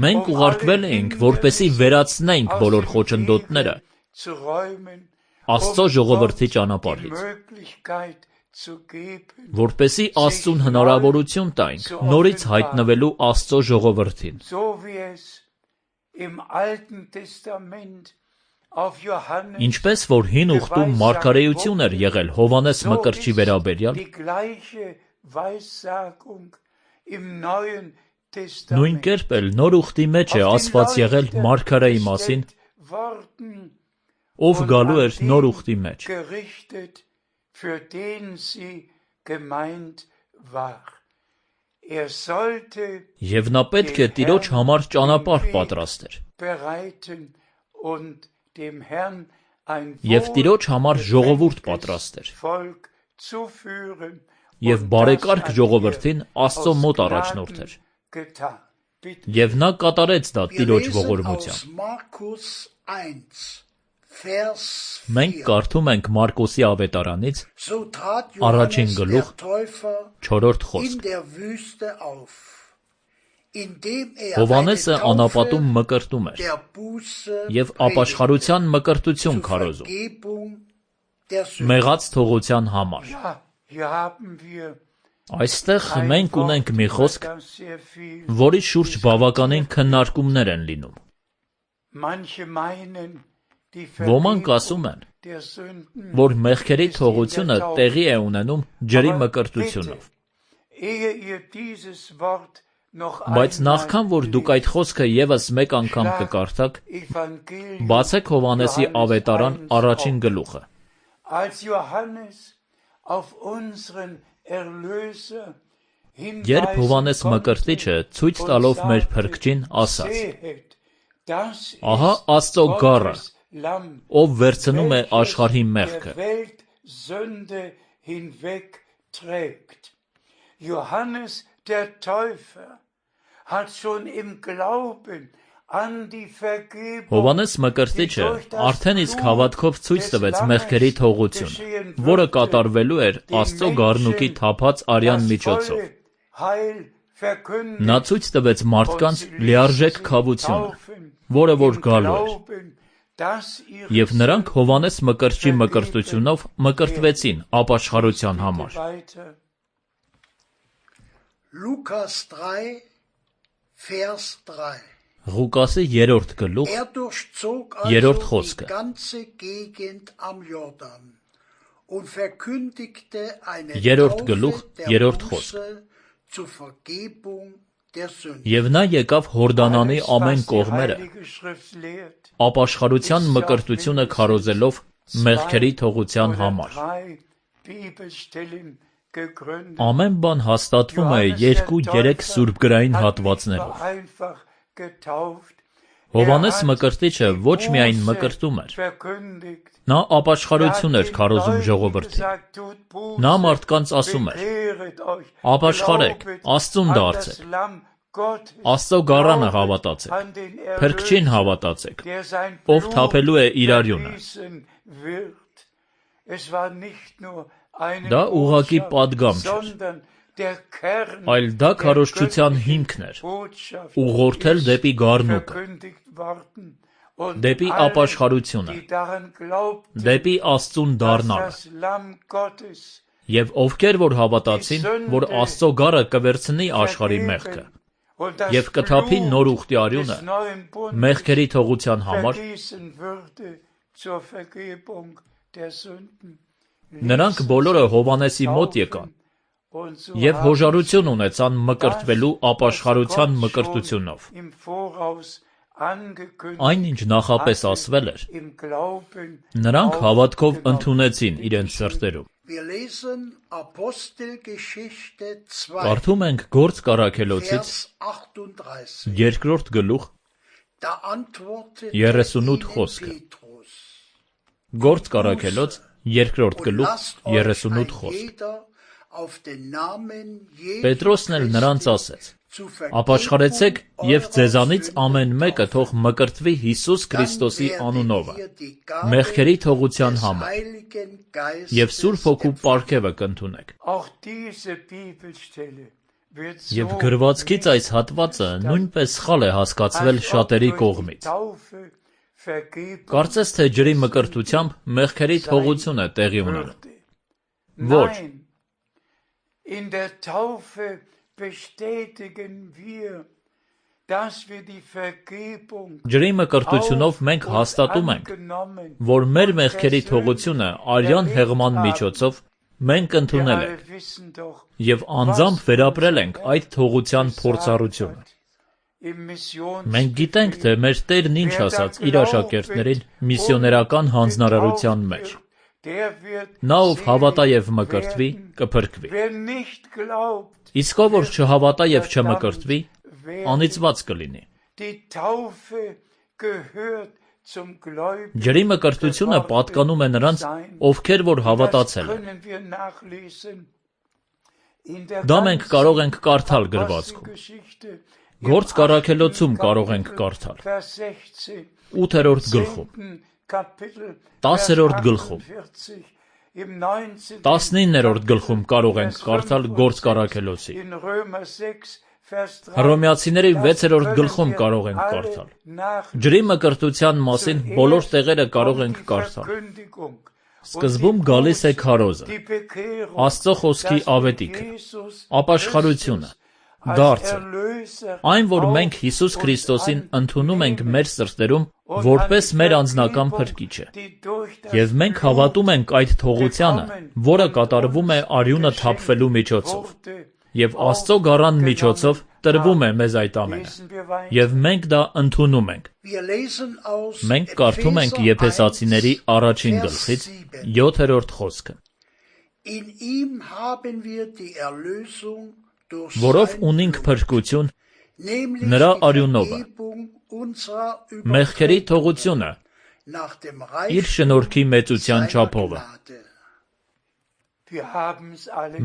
Մենք ուղարկվել էինք, որպեսզի վերացնենք բոլոր խոչընդոտները Աստծո ժողովրդի ճանապարհից, որպեսզի Աստծուն հնարավորություն տայինք նորից հայտնվելու Աստծո ժողովրդին։ Ինչպես որ հին ուխտում մարգարեություն էր եղել Հովհաննես Մկրտչի վերաբերյալ, նույն կերպ էլ նոր ուխտի մեջ է ասված եղել մարգարեի մասին, ով գալու էր նոր ուխտի մեջ։ Եվ նա պետք է Տիրոջ համար ճանապարհ պատրաստեր։ Եվ Տիրոջ համար ժողովուրդ պատրաստեր։ Եվ բարեկարգ ժողովրդին Աստծո մոտ առաջնորդեր։ Եվ նա կատարեց դա Տիրոջ ողորմությամբ։ Մենք կարդում ենք Մարկոսի ավետարանից առաջին գլուխ 4-րդ խոսք։ Հովհաննեսը անապատում մկրտում էր և ապաշխարության մկրտություն քարոզում, մեղած թողության համար։ Այստեղ մենք ունենք մի խոսք, որի շուրջ բավականին քննարկումներ են լինում։ Ոմանք ասում են, որ մեղքերի թողությունը տեղի է ունենում ջրի մկրտությունով։ Բայց նախքան որ դուք այդ խոսքը ևս մեկ անգամ կկարդաք, բացեք Հովհաննեսի ավետարան առաջին գլուխը։ Երբ Հովհաննես Մկրտիչը ցույց տալով մեր Փրկչին ասաց. «Ահա Աստծո գառը, ով վերցնում է աշխարհի մեղքը»։ Հովհաննես Մկրտիչը արդեն իսկ հավատքով ցույց տվեց մեղքերի թողությունը, որը կատարվելու էր Աստծո գառնուկի թափած արյան միջոցով։ Նա ցույց տվեց մարդկանց լիարժեք քավությունը, որը որ գալու էր։ Եվ նրանք Հովհաննես Մկրտչի մկրտությունով մկրտվեցին ապաշխարության համար։ Ղուկասի 3-րդ գլուխ 3-րդ խոսքը։ Երրորդ գլուխ 3-րդ խոսք։ Եվ նա եկավ Հորդանանի ամեն կողմերը, ապաշխարության մկրտությունը քարոզելով մեղքերի թողության համար։ Ամեն բան հաստատվում է 2-3 սուրբգրային հատվածներով։ Հովհաննես Մկրտիչը ոչ միայն մկրտում էր, նա ապաշխարություն էր քարոզում ժողովրդին։ Նա մարդկանց ասում էր. «Ապաշխարեք, Աստծուն դարձեք, Աստծո գառանը հավատացեք, Փրկչին հավատացեք, ով թափելու է իր արյունը»։ Դա ուղղակի պատգամ չէր, այլ դա քարոզչության հիմքն էր, ուղղորդել դեպի գառնուկը, դեպի ապաշխարությունը, դեպի Աստծուն դառնալը։ Եվ ովքեր որ հավատացին, որ Աստծո գառը կվերցնի աշխարհի մեղքը և կթափի նոր ուխտի արյունը մեղքերի թողության համար, Նրանք բոլորը Հովհաննեսի մոտ եկան և հոժարություն ունեցան մկրտվելու ապաշխարության մկրտությունով։ Այն, ինչ նախապես ասվել էր, նրանք հավատքով ընդունեցին իրենց սրտերում։ Կարդում ենք Գործք առաքելոցից 2-րդ գլուխ 38 խոսքը։ Գործք առաքելոց 2-րդ գլուխ 38 խոսքը։ Պետրոսն էլ նրանց ասեց. «Ապաշխարեցեք և ձեզանից ամեն մեկը թող մկրտվի Հիսուս Քրիստոսի անունովը, մեղքերի թողության համար, և Սուրբ Հոգու պարգևը կընդունեք»։ Եվ գրվածքից այս հատվածը նույնպես սխալ է հասկացվել շատերի կողմից։ Կարծես թե ջրի մկրտությամբ մեղքերի թողություն է տեղի ունենում։ Ոչ։ Ջրի մկրտությունով մենք հաստատում ենք, որ մեր մեղքերի թողությունը արյան հեղման միջոցով մենք ընդունել ենք և անձամբ վերապրել ենք այդ թողության փորձառությունը։ Մենք գիտենք, թե մեր Տերն ինչ ասաց իր աշակերտներին միսիոներական հանձնարարության մեջ. «Նա, ով հավատա և մկրտվի, կփրկվի, իսկ ով որ չհավատա և չմկրտվի, անիծված կլինի»։ Ջրի մկրտությունը պատկանում է նրանց, ովքեր որ հավատացել են։ Դա մենք կարող ենք կարդալ գրվածքում։ Գործք առաքելոցում կարող ենք կարդալ 8-րդ գլխում, 10-րդ գլխում, 19-րդ գլխում կարող ենք կարդալ Գործք առաքելոցի, Հռոմեացիների 6-րդ գլխում կարող ենք կարդալ։ Ջրի մկրտության մասին բոլոր տեղերը կարող ենք կարդալ։ Սկզբում գալիս է քարոզը, Աստծո խոսքի ավետիքը, ապաշխարությունը, դարձը, այն, որ մենք Հիսուս Քրիստոսին ընդունում ենք մեր սրտերում որպես մեր անձնական փրկիչը, և մենք հավատում ենք այդ թողությանը, որը կատարվում է արյունը թափվելու միջոցով, և Աստծո գառան միջոցով տրվում է մեզ այդ ամենը, և մենք դա ընդունում ենք։ Մենք կարդում ենք Եփեսացիների 1-ին գլխից 7-րդ խոսքը. «Որով ունենք փրկություն նրա արյունովը, մեղքերի թողությունը իր շնորհքի մեծության չափովը»։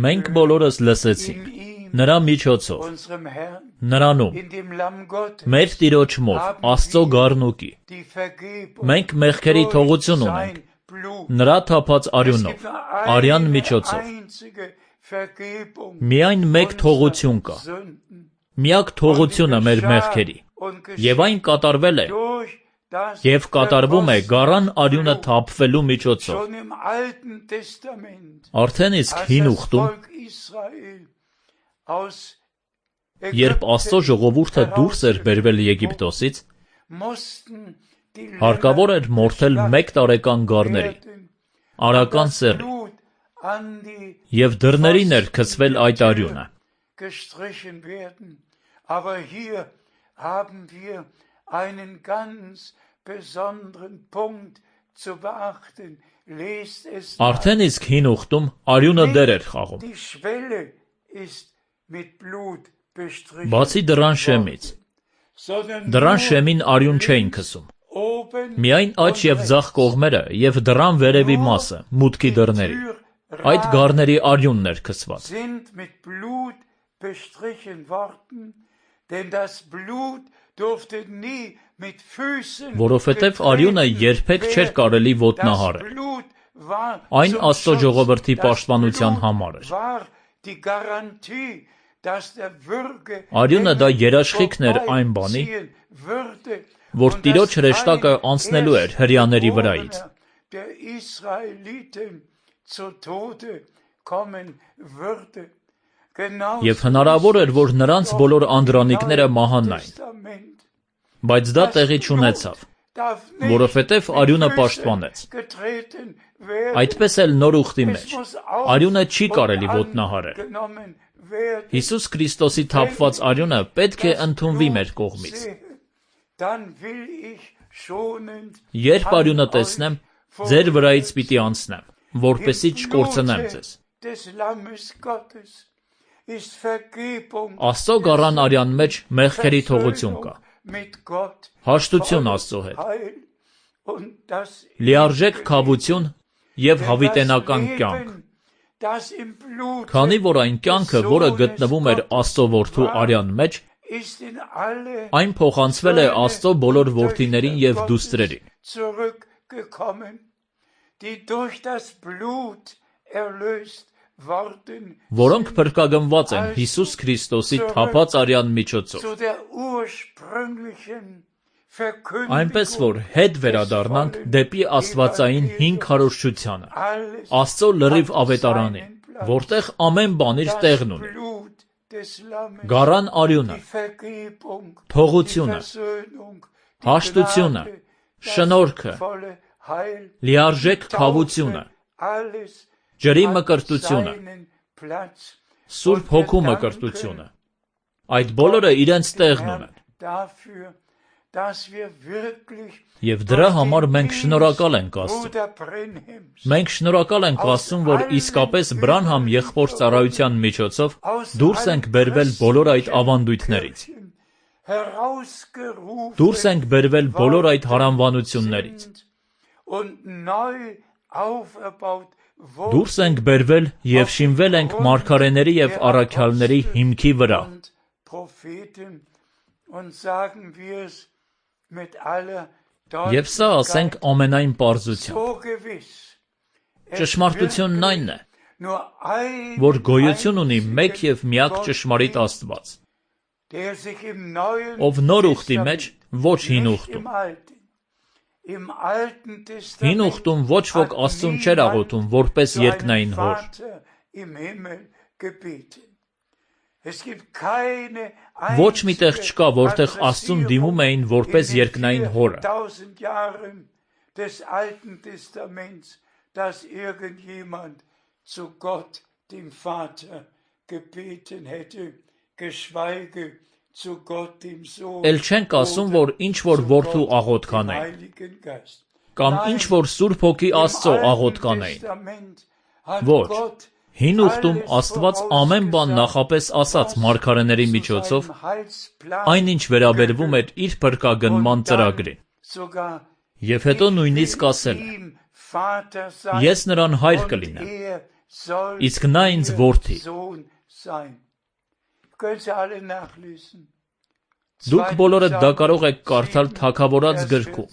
Մենք բոլորս լսեցինք նրա միջոցով, նրանում, մեր Տիրոջ մոտ, Աստծո գառնուկի։ Մենք մեղքերի թողություն ունենք նրա թափած արյունով, արյան միջոցով։ Միայն մեկ թողություն կա, միակ թողությունը մեր մեղքերի, և այն կատարվել է և կատարվում է գառան արյունը թափվելու միջոցով։ Արդեն իսկ Հին Ուխտում, երբ Աստծո ժողովուրդը դուրս էր բերվել Եգիպտոսից, հարկավոր էր մորթել 1 տարեկան գառների, արական սեռի, և դռներին էր գցվել այդ արյունը։ Արդեն իսկ Հին Ուխտում արյունը դեր էր խաղում։ Բացի դռան շեմից, դռան շեմին արյուն չէին քսում, միայն աջ և ձախ կողմերը և դռան վերևի մասը, մուտքի դռների, այդ գառների արյունն էր քսված։ Որովհետև արյունը երբեք չէր կարելի ոտնահարել։ Այն Աստծո ժողովրդի պաշտպանության համար էր։ Արյունը դա երաշխիքն էր այն բանի, որ Տիրոջ հրեշտակը անցնելու էր հրեաների վրայից։ Եվ հնարավոր էր, որ նրանց բոլոր անդրանիկները մահանային։ Բայց դա տեղի չունեցավ։ որովհետև արյունը պաշտպանեց։ Այդպես էլ նոր ուխտի մեջ արյունը չի կարելի ոտնահարել։ Հիսուս Քրիստոսի թափված արյունը պետք է ընդունվի մեր կողմից։ Երբ արյունը տեսնեմ, ձեր վրայից պիտի անցնեմ, որպեսզի չկորցնեմ ձեզ։ Աստծո գառան արյան մեջ մեղքերի թողություն կա։ Հաշտություն Աստծո հետ։ Լիարժեք քավություն և հավիտենական կյանք։ Քանի որ այն կյանքը, որը գտնվում էր Աստծո որդու արյան մեջ, այն փոխանցվել է Աստծո բոլոր որդիներին և դուստրերին։ Որոնք փրկագնված են Հիսուս Քրիստոսի թափած արյան միջոցով։ Այնպես որ հետ վերադառնանք դեպի աստվածային հին քարոզչությանը, Աստծո լրիվ ավետարանին, որտեղ ամեն բան իր տեղն ունի։ Գառան արյունը, թողությունը, հաշտությունը, շնորհքը, լիարժեք քավությունը, ջրի մկրտությունը, Սուրբ Հոգու մկրտությունը, այդ բոլորը իրենց տեղն ունեն։ Եվ դրա համար մենք շնորհակալ ենք Աստծուն։ Մենք շնորհակալ ենք Աստծուն, որ իսկապես Բրանհամ եղբոր ծառայության միջոցով դուրս ենք բերվել բոլոր այդ ավանդույթներից։ Դուրս ենք բերվել բոլոր այդ հարանվանություններից։ Դուրս ենք բերվել և շինվել ենք մարգարեների և առաքյալների հիմքի վրա։ Եվ սա ասենք ամենայն պարզությամբ։ Ճշմարտությունն այն է, որ գոյություն ունի մեկ և միակ ճշմարիտ Աստված, ով նոր ուխտի մեջ, ոչ հին ուխտում։ Հին ուխտում ոչ ոք Աստծուն չէր աղոթում որպես երկնային հոր։ Ոչ մի տեղ չկա, որտեղ Աստծուն դիմում էին որպես երկնային հորը։ Էլ չենք ասում, որ ինչ-որ որդու աղոթք անեին, կամ ինչ-որ Սուրբ Հոգի Աստծո աղոթք անեին։ Ոչ, հին ուխտում Աստված ամեն բան նախապես ասաց մարգարեների միջոցով, այնինչ վերաբերվում էր իր փրկագնման ծրագրին։ Եվ հետո նույնիսկ ասել է. «Ես նրան հայր կլինեմ, իսկ նա ինձ որդի»։ Դուք բոլորը դա կարող եք կարդալ Թագավորաց գրքում։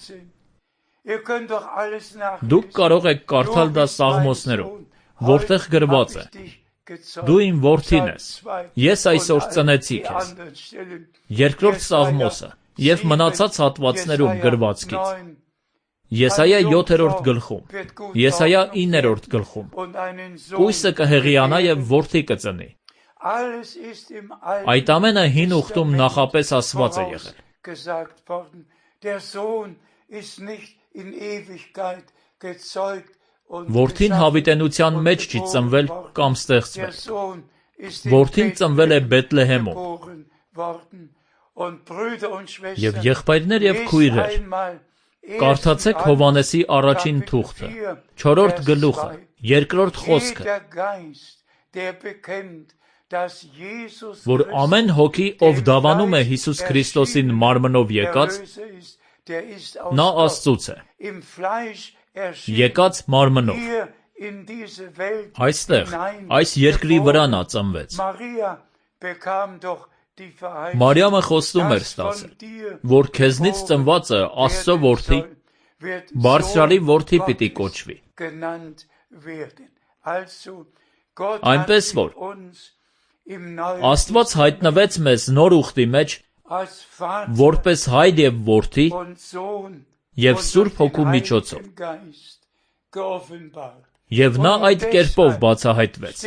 Դուք կարող եք կարդալ դա Սաղմոսներում, որտեղ գրված է. «Դու իմ որդին ես, ես այսօր ծնեցի քեզ»։ Երկրորդ Սաղմոսը և մնացած հատվածներում գրվածքից։ Եսայա 7-րդ գլխում, Եսայա 9-րդ գլխում, կույսը կհեղիանա և որդի կծնի։ Այդ ամենը հին ուխտում նախապես ասված է եղել։ Որդին հավիտենության մեջ չի ծնվել կամ ստեղծվել։ Որդին ծնվել է Բեթլեհեմում։ Եվ եղբայրներ և քույրեր, կարդացեք Հովհաննեսի առաջին թուղթը, 4-րդ գլուխը, 2-րդ խոսքը, որ ամեն հոգի, ով դավանում է Հիսուս Քրիստոսին մարմնով եկած, նա Աստծուց է, եկած մարմնով։ Այստեղ, այս երկրի վրա նա ծնվեց։ Մարիամը խոստում էր ստացել, որ քեզնից ծնվածը Աստծո որդի, Բարձրյալի որդի պիտի կոչվի։ Այնպես որ Աստված հայտնվեց մեզ նոր ուխտի մեջ, որպես հայր և որդի և Սուրբ Հոգու միջոցով։ Եվ նա այդ կերպով բացահայտվեց։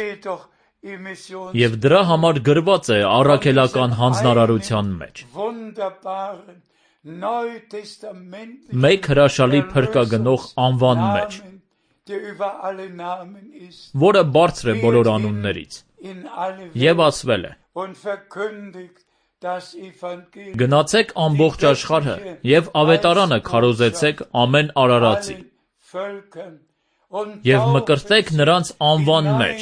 Եվ դրա համար գրված է առաքելական հանձնարարության մեջ. neutestamentlichen մեկ հրաշալի փրկագնող անվան մեջ, Namen, der über alle Namen ist, որը բարձր է բոլոր անուններից, in alle եւ Welt ասվել է. und verkündigt das Evangelium Գնացեք ամբողջ աշխարհը եւ ավետարանը քարոզեցեք ամեն արարածի allen Völkern und եւ մկրտեք նրանց անվան մեջ,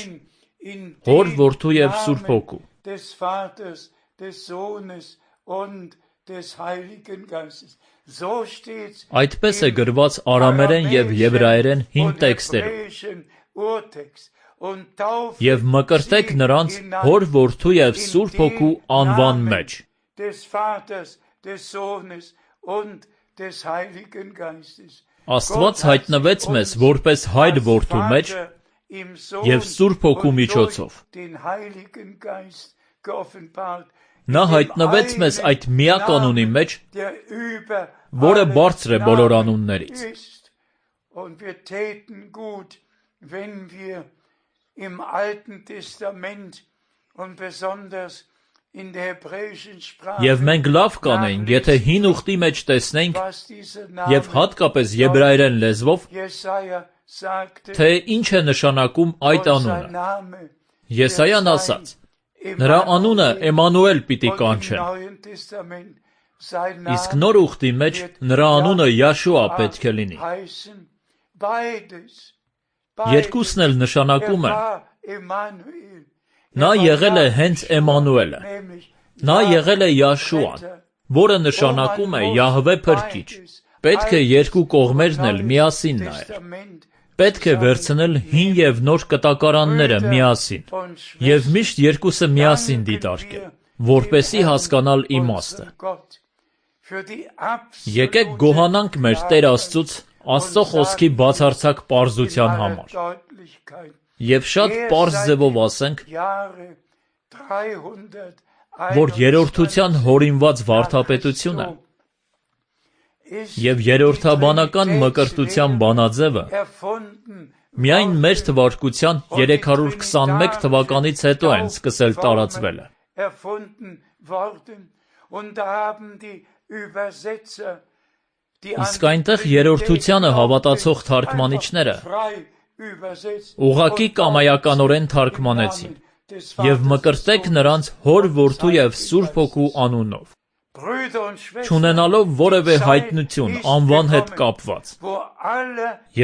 in Հոր, den Որդու եւ Սուրբ Namen Հոգու, des Vaters, des Sohnes und des Heiligen Geistes. So steht's այդպես է գրված արամերեն եւ եբրայերեն հին und տեքստերում, hebräischen Urtext und tauft եւ մկրտեք sie նրանց hinein Հոր, Որդու եւ in Սուրբ den Հոգու անվան Namen մեջ, des Vaters, des Sohnes und des Heiligen Geistes. Աստված հայտնվեց մեզ որպես Հայր Որդու մեջ եւ Սուրբ Հոգու միջոցով։ Den Heiligen Geist geoffenbart. Նա հայտնվեց մեզ այդ միակ անունի մեջ, Der über որը alle բարձր է բոլոր Namen անուններից։ ist. Und wir täten gut, wenn wir im Alten Testament und besonders in der hebräischen Sprache Եվ մենք լավ կանեինք, եթե հին ուխտի մեջ տեսնենք was dieser եւ Name հատկապես եբրայերեն լեզվով, Jesaja sagte, թե ինչ է նշանակում այդ und sein անունը։ Name Եսայան ասաց. Նրա անունը Էմանուել պիտի und im կանչեն, Neuen Testament sein իսկ Name նոր ուխտի մեջ նրա անունը Յաշուա պետք է լինի։ heißen. Beides. Երկուսն էլ նշանակում են, war Emmanuel. նա եղել է հենց Էմանուելը, Nämlich նա եղել է Յաշուան, որը նշանակում է Յահվե փրկիչ։ Պետք է երկու կողմերն էլ միասին նայել։ Testament Պետք է վերցնել հին եւ նոր կտակարանները միասին եւ միշտ երկուսը միասին դիտարկել, որպեսզի հասկանալ իմաստը։ Gott für die Եկեք գոհանանք մեր Տեր Աստծուց Աստծո խոսքի բացարձակ պարզության համար Deutlichkeit. եւ շատ պարզ ձևով ասենք, Jahre 300 որ երրորդության հորինված վարդապետությունը եւ երրորդաբանական մկրտության բանաձևը միայն մեր թվարկության 321 թվականից հետո են սկսել տարածվելը։ Իսկ այնտեղ երրորդությանը հավատացող թարգմանիչները ուղղակի կամայականորեն թարգմանեցին եւ մկրտեք նրանց Հոր, Որդու եւ Սուրբ Հոգու անունով, չունենալով որևէ հայտնություն անվան հետ կապված։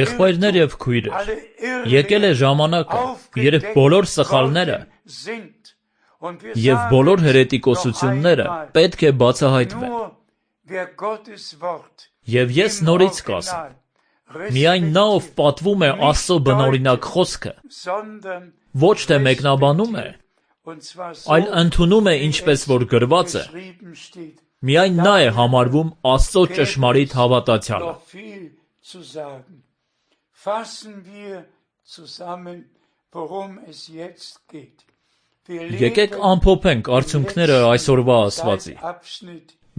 Եղբայրներ եւ քույրեր, եկել է ժամանակը, երբ բոլոր սխալները եւ բոլոր հերետիկոսությունները պետք է բացահայտվեն։ Եվ ես նորից կասեմ, միայն նա, ով պատվում է Աստծո բնօրինակ խոսքը, ոչ թե մեկնաբանում է, այլ ընդունում է ինչպես որ գրված է, միայն նա է համարվում Աստծո ճշմարիտ հավատացյալը։ Եկեք ամփոփենք արդյունքները այսօրվա ասվածի։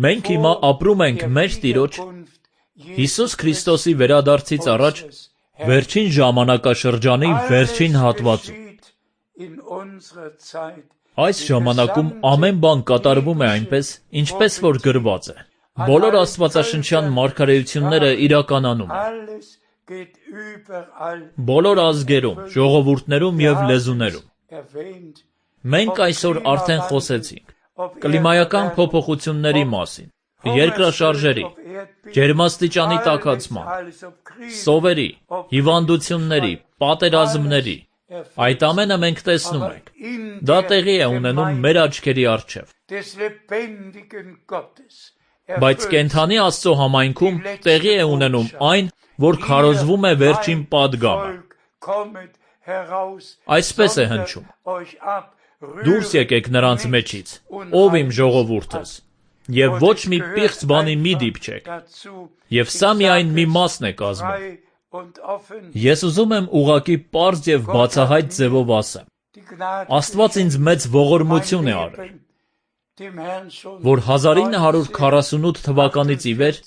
Մենք հիմա ապրում ենք մեր Տիրոջ Հիսուս Քրիստոսի վերադարձից առաջ վերջին ժամանակաշրջանի վերջին հատվածում։ Այս ժամանակում ամեն բան կատարվում է այնպես, ինչպես որ գրված է։ Բոլոր աստվածաշնչյան մարգարեությունները իրականանում են։ Բոլոր ազգերում, ժողովուրդներում եւ լեզուներում։ Մենք այսօր արդեն խոսեցինք կլիմայական փոփոխությունների մասին, երկրաշարժերի, ջերմաստիճանի տաքացման, սովերի, հիվանդությունների, պատերազմների։ Այդ ամենը մենք տեսնում ենք։ Դա տեղի է ունենում մեր աչքերի առջև։ Բայց կենդանի Աստծո համայնքում տեղի է ունենում այն, որ քարոզվում է վերջին պատգամը։ Այսպես է հնչում. Դուրս եկեք նրանց մեջից, ով իմ ժողովուրդս, եւ ոչ մի պիղծ բանի մի դիպչեք, եւ սա միայն մի մասն է կազմում։ Ես ուզում եմ ուղղակի պարզ եւ բացահայտ ձևով ասեմ։ Աստված ինձ մեծ ողորմություն է արել, որ 1948 թվականից ի վեր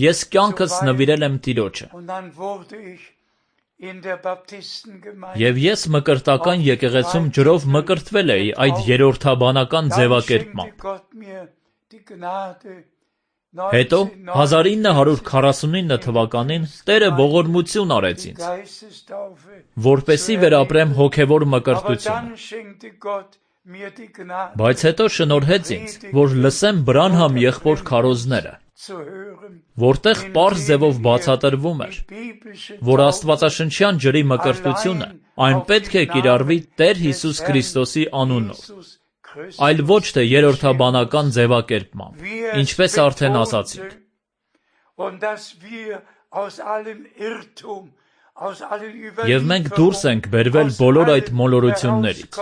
ես կյանքս նվիրել եմ Տիրոջը։ Եվ ես մկրտական եկեղեցում ջրով մկրտվել էի այդ երրորդաբանական ձևակերպմամբ։ Հետո 1949 թվականին Տերը ողորմություն արեց ինձ, որպեսզի վերապրեմ հոգևոր մկրտությունը։ Բայց հետո շնորհեց ինձ, որ լսեմ Բրանհամ եղբոր քարոզները, որտեղ պարզ ձևով բացատրվում էր, որ աստվածաշնչյան ջրի մկրտությունը այն պետք է կիրառվի Տեր Հիսուս Քրիստոսի անունով, այլ ոչ թե երրորդաբանական ձևակերպմամբ, ինչպես արդեն ասացինք։ Եվ մենք դուրս ենք բերվել բոլոր այդ մոլորություններից,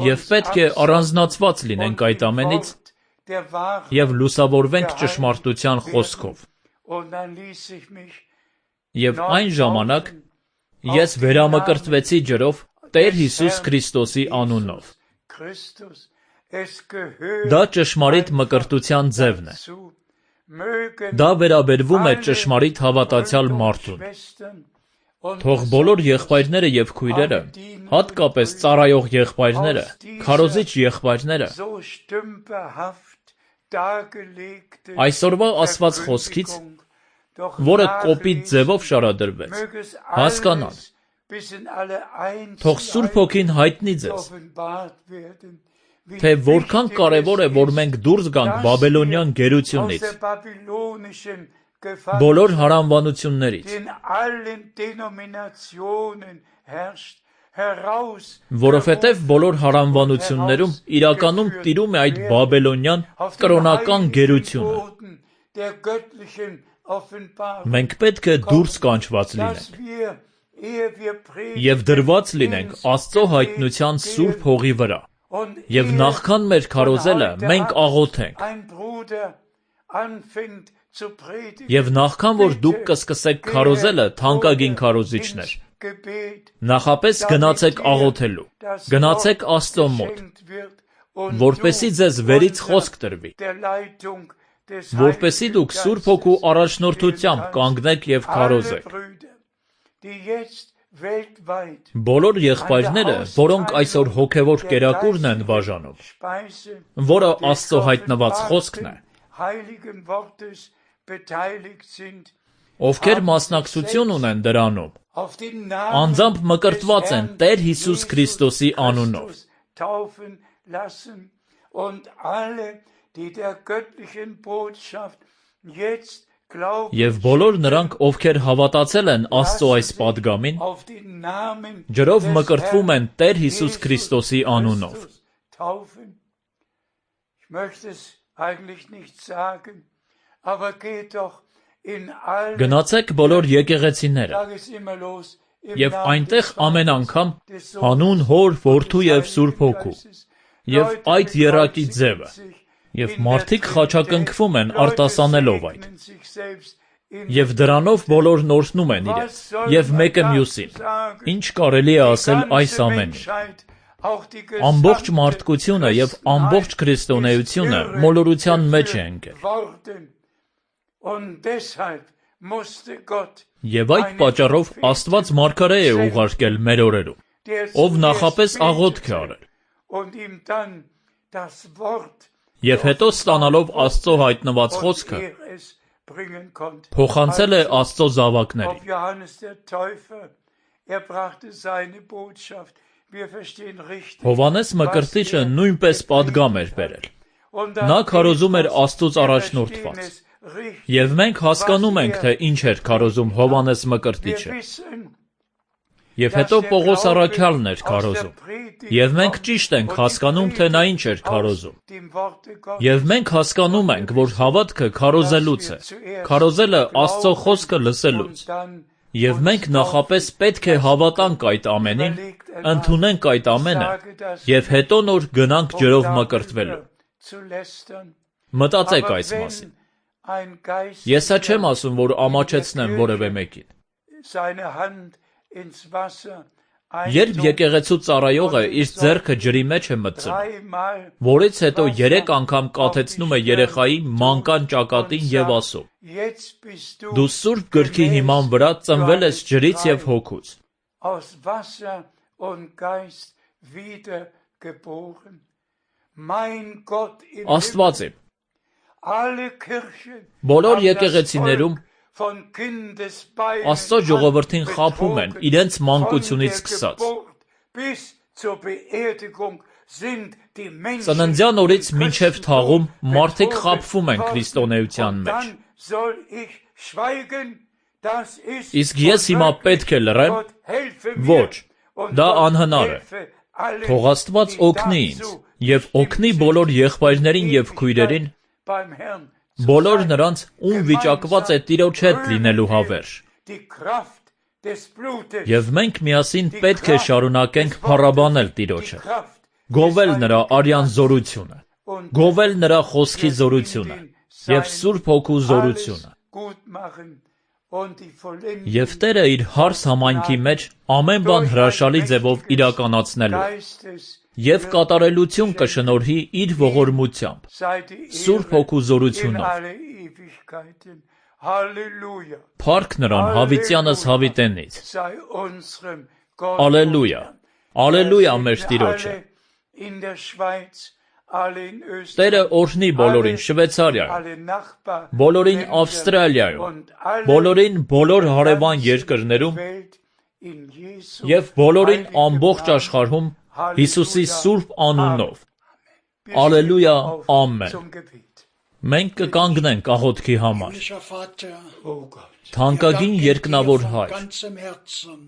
և պետք է առանձնացված լինենք այդ ամենից և լուսավորվենք ճշմարտության խոսքով։ Եվ այն ժամանակ ես վերամկրտվեցի ջրով Տեր Հիսուս Քրիստոսի անունով։ Դա ճշմարիտ մկրտության ձևն է։ Դա վերաբերվում է ճշմարիտ հավատացյալ մարդուն։ Թող բոլոր եղբայրները և քույրերը, հատկապես ծառայող եղբայրները, քարոզիչ եղբայրները, այսօրվա ասված խոսքից, որը կոպիտ ձևով շարադրվեց, հասկանան, թող Սուրբ Հոգին հայտնի ձեզ, թե որքան կարևոր է, որ մենք դուրս գանք բաբելոնյան գերությունից, բոլոր հարանվանություններից, որովհետև բոլոր հարանվանություններում իրականում տիրում է այդ բաբելոնյան կրոնական գերությունը։ Մենք պետք է դուրս կանչված լինենք և դրված լինենք Աստծո հայտնության Սուրբ Հողի վրա, և նախքան մեր քարոզելը մենք աղոթենք, և նախքան որ դուք կսկսեք քարոզելը, թանկագին քարոզիչներ, նախապես գնացեք աղոթելու, գնացեք Աստծո մոտ, որպեսզի ձեզ վերից խոսք տրվի, որպեսզի դուք Սուրբ Հոգու առաջնորդությամբ կանգնեք և քարոզեք։ Բոլոր եղբայրները, որոնք այսօր հոգևոր կերակուրն են բաժանում, որը Աստծո հայտնված խոսքն է, ովքեր մասնակցություն ունեն դրանում, անձամբ մկրտված են Տեր Հիսուս Քրիստոսի անունով։ Եվ բոլոր նրանք, ովքեր հավատացել են Աստծո այս պատգամին, ջրով մկրտվում են Տեր Հիսուս Քրիստոսի անունով։ Գնացեք բոլոր եկեղեցիները և այնտեղ ամեն անգամ հանուն Հոր, Որդու և Սուրբ Հոգու, և այդ եռակի ձևը, և մարդիկ խաչակնքվում են արտասանելով այդ, և դրանով բոլորն օրհնում են իրենց, և մեկը մյուսին։ Ինչ կարելի է ասել այս ամենին։ Ամբողջ մարդկությունը և ամբողջ քրիստոնեությունը մոլորության մեջ է ընկել։ Եվ այդ պատճառով Աստված մարգարե է ուղարկել մեր օրերում, ով նախապես աղոթք է արել, և հետո ստանալով Աստծո հայտնված խոսքը, փոխանցել է Աստծո զավակներին։ Հովհաննես Մկրտիչը նույնպես պատգամ էր բերել։ Նա քարոզում էր Աստծուց առաջնորդված, և մենք հասկանում ենք, թե ինչ էր քարոզում Հովհաննես Մկրտիչը։ Եվ հետո Պողոս առաքյալն էր քարոզում, և մենք ճիշտ ենք հասկանում, թե նա ինչ էր քարոզում։ Եվ մենք հասկանում ենք, որ հավատքը քարոզելուց է, քարոզելը Աստծո խոսքը լսելուց։ Եվ մենք նախապես պետք է հավատանք այդ ամենին, ընդունենք այդ ամենը, և հետո նոր գնանք ջրով մկրտվելու։ Մտածեք այս մասին։ Ես սա չեմ ասում, որ ամաչեցնեմ որևէ մեկին։ Երբ եկեղեցու ծառայողը իր ձեռքը ջրի մեջ է մտցնում, որից հետո 3 անգամ կաթեցնում է երեխայի մանկան ճակատին և ասում. «Դու Սուրբ Գրքի հիման վրա ծնվել ես ջրից և հոգուց»։ Աստված իմ, alle Kirchen Բոլոր haben das եկեղեցիներում Volk von Kindesbeinen Աստծո ժողովրդին խաբում են betrogen. իրենց Von մանկությունից der սկսած։ Geburt bis zur Beerdigung sind die Menschen Ծննդյան օրից im մինչև Christentum թաղում մարդիկ betrogen խաբվում են worden. քրիստոնեության Und մեջ։ dann soll ich schweigen, das ist Իսկ ես հիմա պետք է լռեմ։ Gott helfe mir. Ոչ, Und դա Gott անհնար է։ helfe allen, Թող Աստված die օգնի ինձ dazu եւ օգնի բոլոր եղբայրներին եւ քույրերին, beim Herrn zu բոլոր sein. նրանց, ում վիճակված է Տիրոջ հետ լինելու հավերժ։ Die Kraft des Blutes, Եվ մենք միասին պետք է շարունակենք փառաբանել die Տիրոջը, Kraft գովել des նրա Heiligen արյան Geistes զորությունը, und գովել նրա խոսքի զորությունը եւ Սուրբ Հոգու զորությունը։ alles gut machen und die Vollendung Եւ Տերը իր հարս համայնքի մեջ ամեն բան հրաշալի ձևով իրականացնելու է Geistes եւ կատարելություն կշնորհի իր ողորմությամբ, sei die Սուրբ Ehre Հոգու in զորությունով։ alle Ewigkeiten. Halleluja. Փառք նրան հավիտյանս հավիտենից։ Sei unserem Gott. Ալելույա։ Ալելույա մեր Տիրոջը։ Alle in der Schweiz, alle in Տերը Österreich, օրհնի բոլորին Շվեյցարիայում, alle Nachbar, բոլորին Ավստրալիայում, und alle բոլորին բոլոր հարևան ganzen երկրներում Welt in Jesu եւ բոլորին heiligen ամբողջ Namen. աշխարհում Halleluja. Հիսուսի սուրբ անունով։ Wir Ալելույա, stehen auf ամեն։ zum Gebet. Մենք կկանգնենք աղոթքի համար։ Himmlischer Vater, Oh Gott. Թանկագին wir danken երկնավոր dir von Հայր, ganzem Herzen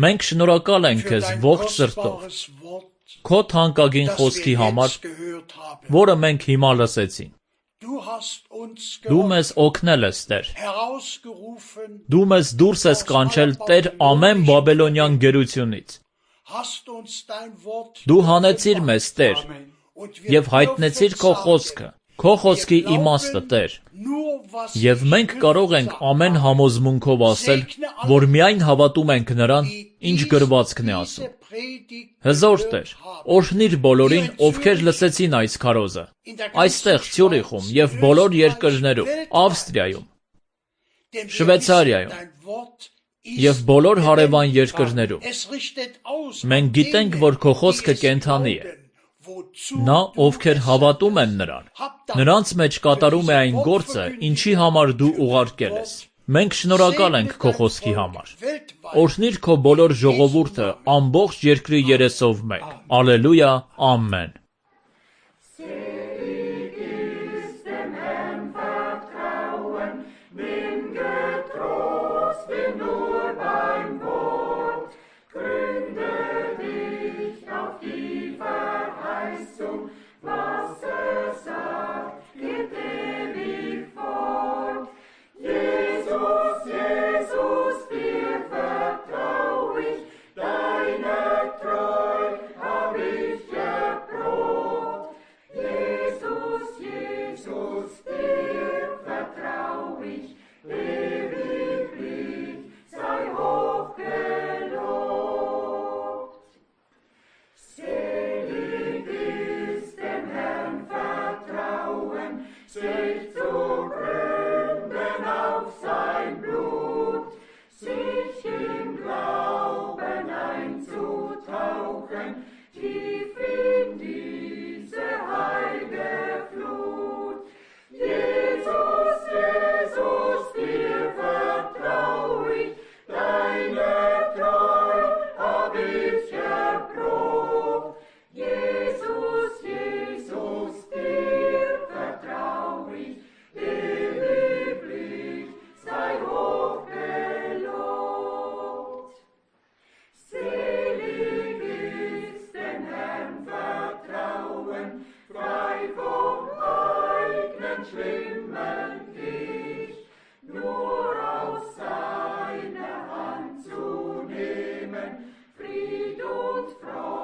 մենք շնորհակալ ենք für քեզ dein ողջ սրտով, kostbares Wort, քո թանկագին das խոսքի wir համար, jetzt gehört haben. որը մենք հիմա լսեցինք։ Du hast uns Դու մեզ օգնել ես, Տեր։ herausgerufen, Դու մեզ դուրս ես կանչել Տեր ամեն բաբելոնյան գերությունից։ hast uns dein Wort Դու հանեցիր մեզ, Տեր, Amen. und wir եւ հայտնեցիր քո dürfen խոսքը, sagen, քո խոսքի wir իմաստը, glauben Տեր։ nur, was Եվ die մենք Schrift կարող ենք sagt. ամեն համոզմունքով ասել, որ միայն հավատում ենք նրան, ինչ գրվածքն է ասում։ Diese Predigt Հզոր gehört Տեր, haben. օրհնիր բոլորին, ովքեր լսեցին այս քարոզը, այստեղ Ցյուրիխում եւ բոլոր երկրներում, Ավստրիայում, Denn wir Շվեյցարիայում wissen, dein Wort եւ բոլոր հարևան երկրներում։ Es richtet aus Մենք auf գիտենք, denen, որ քո die խոսքը es կենդանի է։ glauben, wozu Նա, du ովքեր es հավատում sendest. են նրան, Hab Dank նրանց մեջ կատարում է für այն diese գործը, Wortverkündigung, ինչի համար դու für ուղարկել dein ես։ Wort. Մենք շնորհակալ ենք քո Segne խոսքի dein համար։ Volk weltweit. Օրհնիր քո բոլոր ժողովուրդը ամբողջ երկրի երեսով մեկ։ Ալելույա, ամեն։ Fried und Freude.